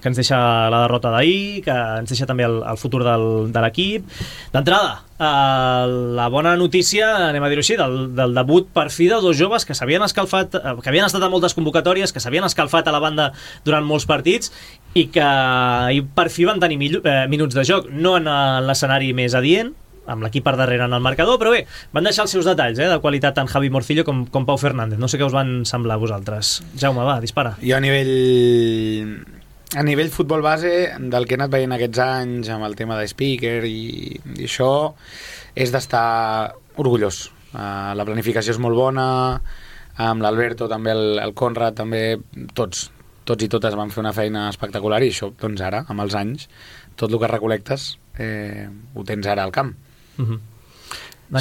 que ens deixa la derrota d'ahir, que ens deixa també el, el futur del, de l'equip. D'entrada, uh, la bona notícia, anem a dir-ho així, del, del debut per fi de dos joves que s'havien escalfat, uh, que havien estat a moltes convocatòries, que s'havien escalfat a la banda durant molts partits i que per fi van tenir mil, uh, minuts de joc, no en l'escenari més adient, amb l'equip per darrere en el marcador, però bé, van deixar els seus detalls, eh, de qualitat tant Javi Morcillo com, com Pau Fernández. No sé què us van semblar a vosaltres. Jaume, va, dispara. Jo a nivell... A nivell futbol base, del que he anat veient aquests anys amb el tema de speaker i, i això, és d'estar orgullós. Uh, la planificació és molt bona, amb l'Alberto, també el, el Conrad, també tots, tots i totes van fer una feina espectacular i això, doncs ara, amb els anys, tot el que recolectes eh, ho tens ara al camp. Uh-huh.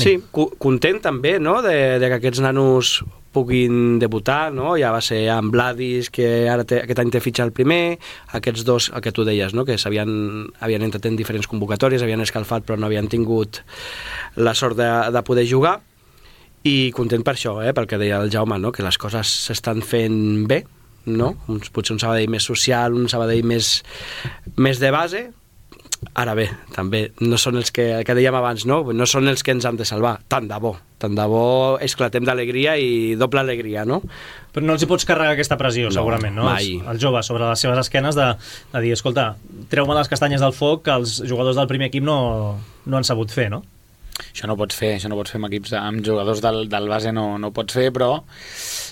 Sí, content també, no?, de, de que aquests nanos puguin debutar, no? Ja va ser amb Vladis, que ara té, aquest any té fitxa el primer, aquests dos, el que tu deies, no?, que s'havien havien entrat en diferents convocatòries, havien escalfat però no havien tingut la sort de, de poder jugar, i content per això, eh, pel que deia el Jaume, no?, que les coses s'estan fent bé, no? Uns, potser un Sabadell més social, un Sabadell més, més de base. Ara bé, també no són els que, que dèiem abans, no? No són els que ens han de salvar, tant de bo, tant de bo esclatem d'alegria i doble alegria, no? Però no els hi pots carregar aquesta pressió, no, segurament, no? Mai. Els, els joves sobre les seves esquenes de, de dir, escolta, treu-me les castanyes del foc que els jugadors del primer equip no, no han sabut fer, no? Això no pots fer, això no pots fer amb equips, amb jugadors del, del base no, no pots fer, però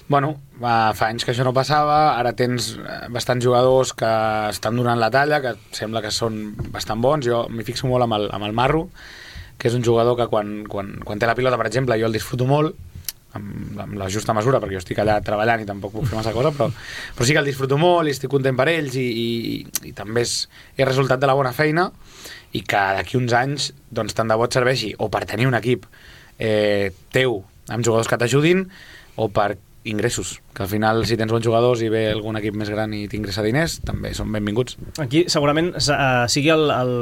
bueno, fa anys que això no passava, ara tens bastants jugadors que estan donant la talla, que sembla que són bastant bons. Jo m'hi fixo molt amb el, amb el Marro, que és un jugador que quan, quan, quan té la pilota, per exemple, jo el disfruto molt, amb, amb la justa mesura, perquè jo estic allà treballant i tampoc puc fer massa cosa, però, però sí que el disfruto molt i estic content per ells i, i, i també és, és resultat de la bona feina, i que d'aquí uns anys doncs, tant de bo et serveixi o per tenir un equip eh, teu amb jugadors que t'ajudin o per ingressos, que al final si tens bons jugadors i ve algun equip més gran i t'ingressa diners, també són benvinguts. Aquí segurament uh, sigui el, el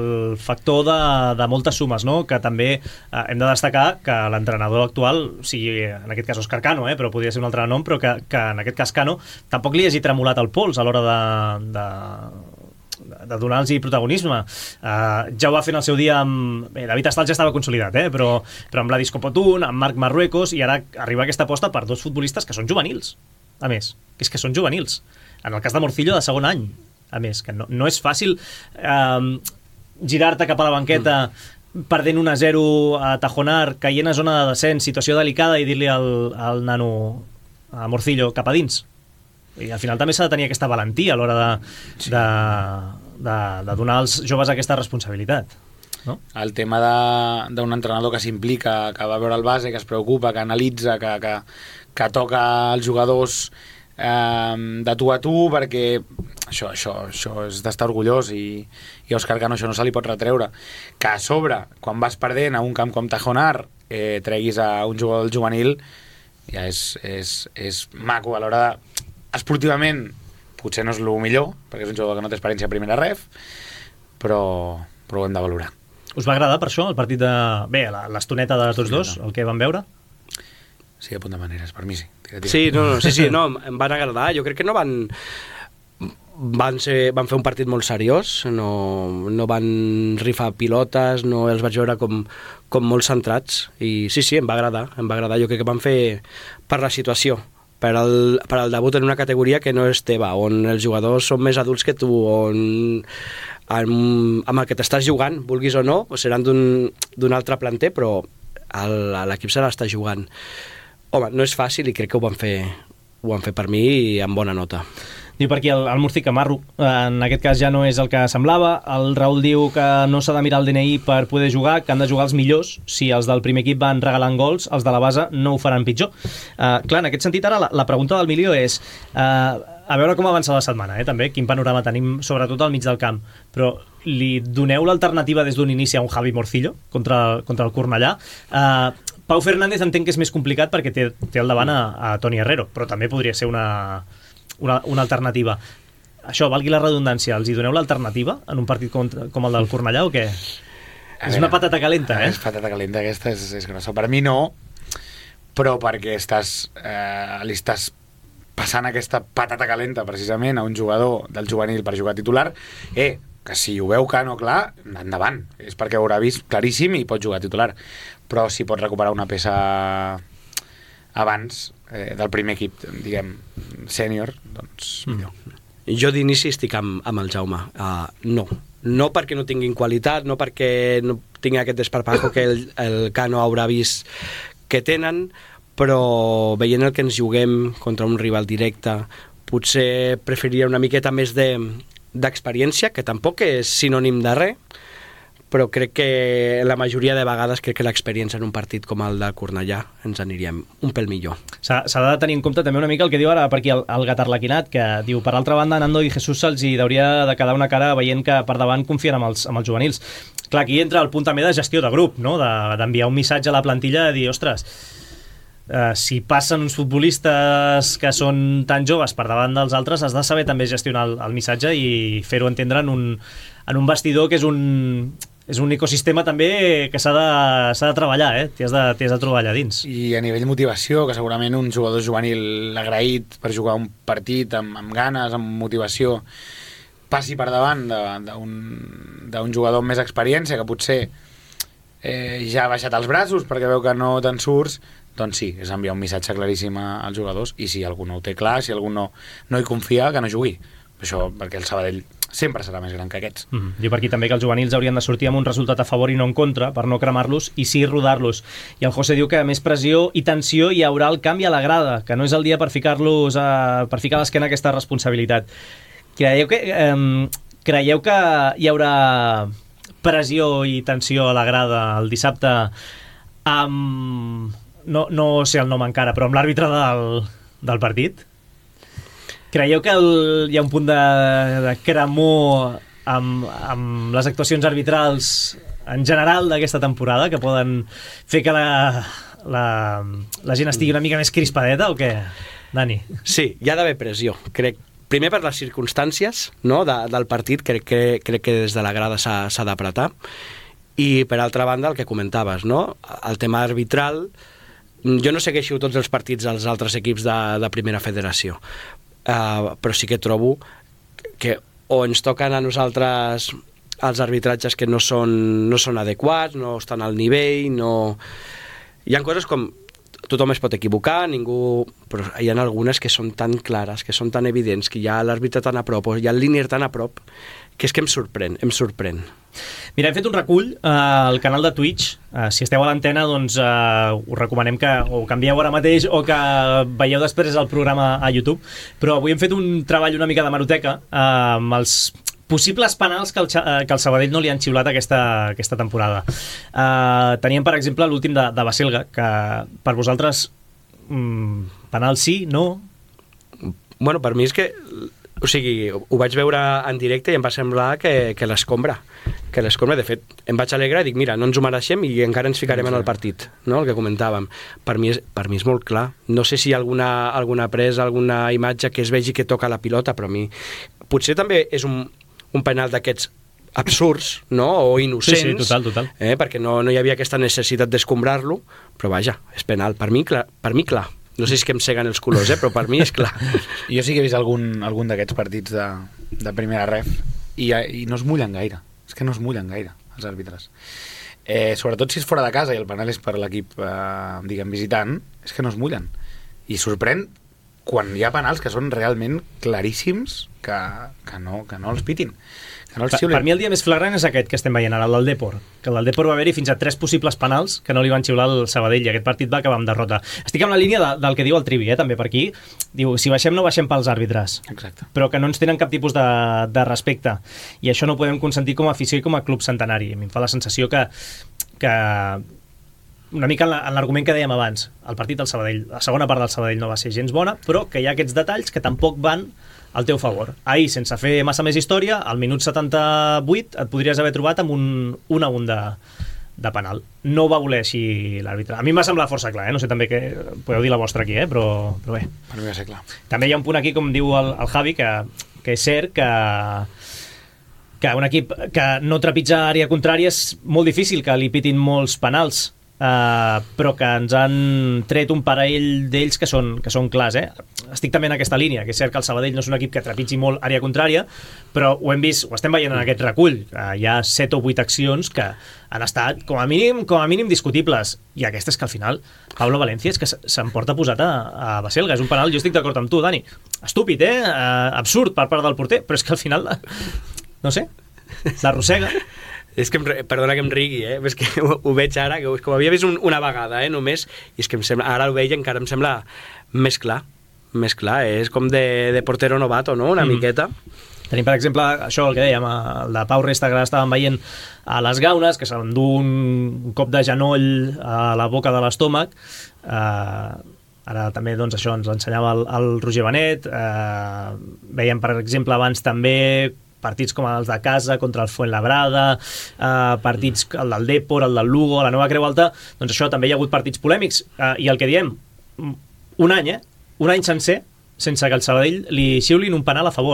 factor de, de moltes sumes, no? Que també uh, hem de destacar que l'entrenador actual, sigui en aquest cas Òscar Cano, eh, però podria ser un altre nom, però que, que en aquest cas Cano tampoc li hagi tremolat el pols a l'hora de... de de donar-los protagonisme. Uh, ja ho va fer en el seu dia amb... Bé, David Astal ja estava consolidat, eh? però, però amb Vladis Copotún, amb Marc Marruecos, i ara arriba aquesta aposta per dos futbolistes que són juvenils, a més, que és que són juvenils. En el cas de Morcillo, de segon any, a més, que no, no és fàcil uh, girar-te cap a la banqueta mm. perdent un a zero a Tajonar, caient a zona de descens, situació delicada, i dir-li al, al nano, a Morcillo, cap a dins. I al final també s'ha de tenir aquesta valentia a l'hora de, sí. de, de, de donar als joves aquesta responsabilitat, no? El tema d'un entrenador que s'implica, que va veure el base, que es preocupa, que analitza, que, que, que toca els jugadors eh, de tu a tu, perquè això, això, això és d'estar orgullós, i, i a Òscar Cano això no se li pot retreure. Que a sobre, quan vas perdent a un camp com Tajonar, eh, treguis a un jugador del juvenil, ja és, és, és maco a l'hora de... Esportivament potser no és el millor, perquè és un jugador que no té experiència a primera ref, però, però ho hem de valorar. Us va agradar per això el partit de... Bé, l'estoneta de tots dos, el que vam veure? Sí, a punt de maneres, per mi sí. Tira, tira. Sí, no, no, sí, sí, no, em van agradar. Jo crec que no van... Van, ser, van fer un partit molt seriós, no, no van rifar pilotes, no els vaig veure com, com molt centrats, i sí, sí, em va agradar, em va agradar. Jo crec que van fer per la situació, per al, per al debut en una categoria que no és teva, on els jugadors són més adults que tu, on amb, amb el que t'estàs jugant, vulguis o no, seran d'un altre planter, però l'equip se l'està jugant. Home, no és fàcil i crec que ho van fer, ho van fer per mi i amb bona nota. Diu per aquí el, el Murci que Marro, en aquest cas ja no és el que semblava. El Raül diu que no s'ha de mirar el D N I per poder jugar, que han de jugar els millors. Si els del primer equip van regalant gols, els de la base no ho faran pitjor. Uh, clar, en aquest sentit ara la, la pregunta del milió és uh, a veure com avança la setmana, eh, també, quin panorama tenim sobretot al mig del camp, però li doneu l'alternativa des d'un inici a un Javi Morcillo contra, contra el Cornellà. uh, Pau Fernández entenc que és més complicat perquè té, té al davant a, a Toni Herrero, però també podria ser una Una, una alternativa. Això, valgui la redundància, els hi doneu l'alternativa en un partit com, com el del Cornellà o què? A és veure, una patata calenta, eh? És patata calenta, aquesta és, és grossa. Per mi no, però perquè estàs, eh, li estàs passant aquesta patata calenta precisament a un jugador del juvenil per jugar titular, eh, que si ho veu Cano clar, endavant. És perquè ho haurà vist claríssim i pot jugar titular. Però si pot recuperar una peça abans eh, del primer equip, diguem, sènior, doncs millor. Mm. Jo d'inici estic amb, amb el Jaume. Uh, no, no perquè no tinguin qualitat, no perquè no tinguin aquest desparpajo que el, el Cano haurà vist que tenen, però veient el que ens juguem contra un rival directe, potser preferiria una miqueta més de, d'experiència, que tampoc és sinònim de res, però crec que la majoria de vegades crec que l'experiència en un partit com el de Cornellà ens aniríem un pèl millor. S'ha, s'ha de tenir en compte també una mica el que diu ara per aquí el, el Gatarlaquinat, que diu, per altra banda, Nando i Jesús se'ls hi hauria de quedar una cara veient que per davant confien amb els, amb els juvenils. Clar, aquí entra el punt també de gestió de grup, no? de, d'enviar un missatge a la plantilla de dir, ostres, Uh, si passen uns futbolistes que són tan joves per davant dels altres, has de saber també gestionar el, el missatge i fer-ho entendre en un, en un vestidor que és un, és un ecosistema també que s'ha de, s'ha de treballar, eh? T'hi has de, t'hi has de trobar allà dins. I a nivell motivació, que segurament un jugador juvenil agraït per jugar un partit amb, amb ganes, amb motivació, passi per davant d'un, d'un jugador amb més experiència que potser eh, ja ha baixat els braços perquè veu que no te'n surts, doncs sí, és enviar un missatge claríssim als jugadors, i si algú no ho té clar, si algú no, no hi confia, que no jugui. Això perquè el Sabadell sempre serà més gran que aquests. Mm-hmm. Diu per aquí també que els juvenils haurien de sortir amb un resultat a favor i no en contra, per no cremar-los i sí rodar-los. I el José diu que a més pressió i tensió hi haurà el canvi a la grada, que no és el dia per ficar-los a, per ficar a l'esquena aquesta responsabilitat. Creieu que, eh, creieu que hi haurà pressió i tensió a la grada el dissabte amb... No, no sé el nom encara, però amb l'àrbitre del, del partit? Creieu que el, hi ha un punt de, de cremor amb, amb les actuacions arbitrals en general d'aquesta temporada que poden fer que la, la, la gent estigui una mica més crispadeta o què, Dani? Sí, hi ha d'haver pressió. Crec, primer per les circumstàncies, no, de, del partit, crec que, crec que des de la grada s'ha, s'ha d'apretar, i per altra banda el que comentaves, no? El tema arbitral. Jo no segueixo tots els partits dels altres equips de, de primera federació, uh, però sí que trobo que o ens toquen a nosaltres els arbitratges que no són, no són adequats, no estan al nivell, no... Hi ha coses com... Tothom es pot equivocar, ningú... però hi ha algunes que són tan clares, que són tan evidents, que hi ha l'àrbitre tan a prop, o hi ha el línier tan a prop, que és que em sorprèn, em sorprèn. Mira, hem fet un recull uh, al canal de Twitch. Uh, si esteu a l'antena, doncs uh, us recomanem que o canvieu ara mateix o que veieu després el programa a YouTube. Però avui hem fet un treball una mica de maroteca uh, amb els possibles penals que el, que el Sabadell no li han xiulat aquesta, aquesta temporada. Uh, teníem, per exemple, l'últim de, de Baselga, que per vosaltres um, penal sí, no? Bueno, per mi és que... O sigui, ho vaig veure en directe i em va semblar que, que l'escombra. Que l'escombra, de fet, em vaig alegrar i dic, mira, no ens ho mereixem i encara ens ficarem en el partit, no? El que comentàvem. Per mi és, per mi és molt clar. No sé si hi ha alguna, alguna presa, alguna imatge que es vegi que toca la pilota, però a mi... Potser també és un, un penal d'aquests absurds, no? O innocents. Sí, sí, total, total. Eh? Perquè no, no hi havia aquesta necessitat d'escombrar-lo, però vaja, és penal. Per mi, clar. Per mi, clar. No sé si és que em seguen els colors, eh? Però per mi és clar. Jo sí que he vist algun, algun d'aquests partits de, de primera ref i, i no es mullen gaire. És que no es mullen gaire, els àrbitres. Eh, sobretot si és fora de casa i el penal és per l'equip, eh, diguem, visitant, és que no es mullen. I sorprèn quan hi ha penals que són realment claríssims que, que, no, que no els pitin. Que no els per, per mi el dia més flagrant és aquest que estem veient ara, el del Depor. Que el del Depor va haver-hi fins a tres possibles penals que no li van xiular al Sabadell i aquest partit va acabar amb derrota. Estic amb la línia de, del que diu el Trivi, eh, també per aquí. Diu, si baixem no baixem pels àrbitres. Exacte. Però que no ens tenen cap tipus de, de respecte. I això no ho podem consentir com a afició i com a club centenari. A mi em fa la sensació que... que una mica en l'argument que dèiem abans, el partit del Sabadell, la segona part del Sabadell no va ser gens bona, però que hi ha aquests detalls que tampoc van al teu favor. Ahir, sense fer massa més història, al minut setanta-vuit et podries haver trobat amb un un a un de, de penal. No va voler així l'àrbitre. A mi m'ha semblat força clar, eh? No sé també que podeu dir la vostra aquí, eh? però, però bé. Per mi va ser clar. També hi ha un punt aquí, com diu el, el Javi, que, que és cert que que un equip que no trepitja àrea contrària és molt difícil que li pitin molts penals. Uh, però que ens han tret un parell d'ells que són, que són clars, eh? Estic també en aquesta línia, que és cert que el Sabadell no és un equip que trepitgi molt àrea contrària, però ho hem vist, ho estem veient en aquest recull. Uh, hi ha set o vuit accions que han estat com a mínim, com a mínim discutibles, i aquesta és que al final Pablo Valencia és que s'emporta posat a, a Baselga. És un penal, jo estic d'acord amb tu, Dani, estúpid, eh? Uh, absurd per part del porter, però és que al final no sé. l'arrossega. És que, em, perdona que em rigui, eh? És que ho, ho veig ara, que ho havia vist un, una vegada, eh, només, i és que em sembla, ara ho veig i encara em sembla més clar, més clar, eh? És com de, de portero novato, no?, una mm. miqueta. Tenim, per exemple, això, el que dèiem, el de Pau Resta, que estàvem veient a les gaunes, que s'endú un cop de genoll a la boca de l'estómac. Eh, ara també, doncs, això ens ensenyava el, el Roger Benet. Eh, veiem, per exemple, abans també partits com els de casa contra el Fuenlabrada, eh, partits el del Depor, el del Lugo, la Nova Creu Alta, doncs això, també hi ha hagut partits polèmics, eh, i el que diem, un any, eh? Un any sencer sense que el Sabadell li xiulin un penal a favor.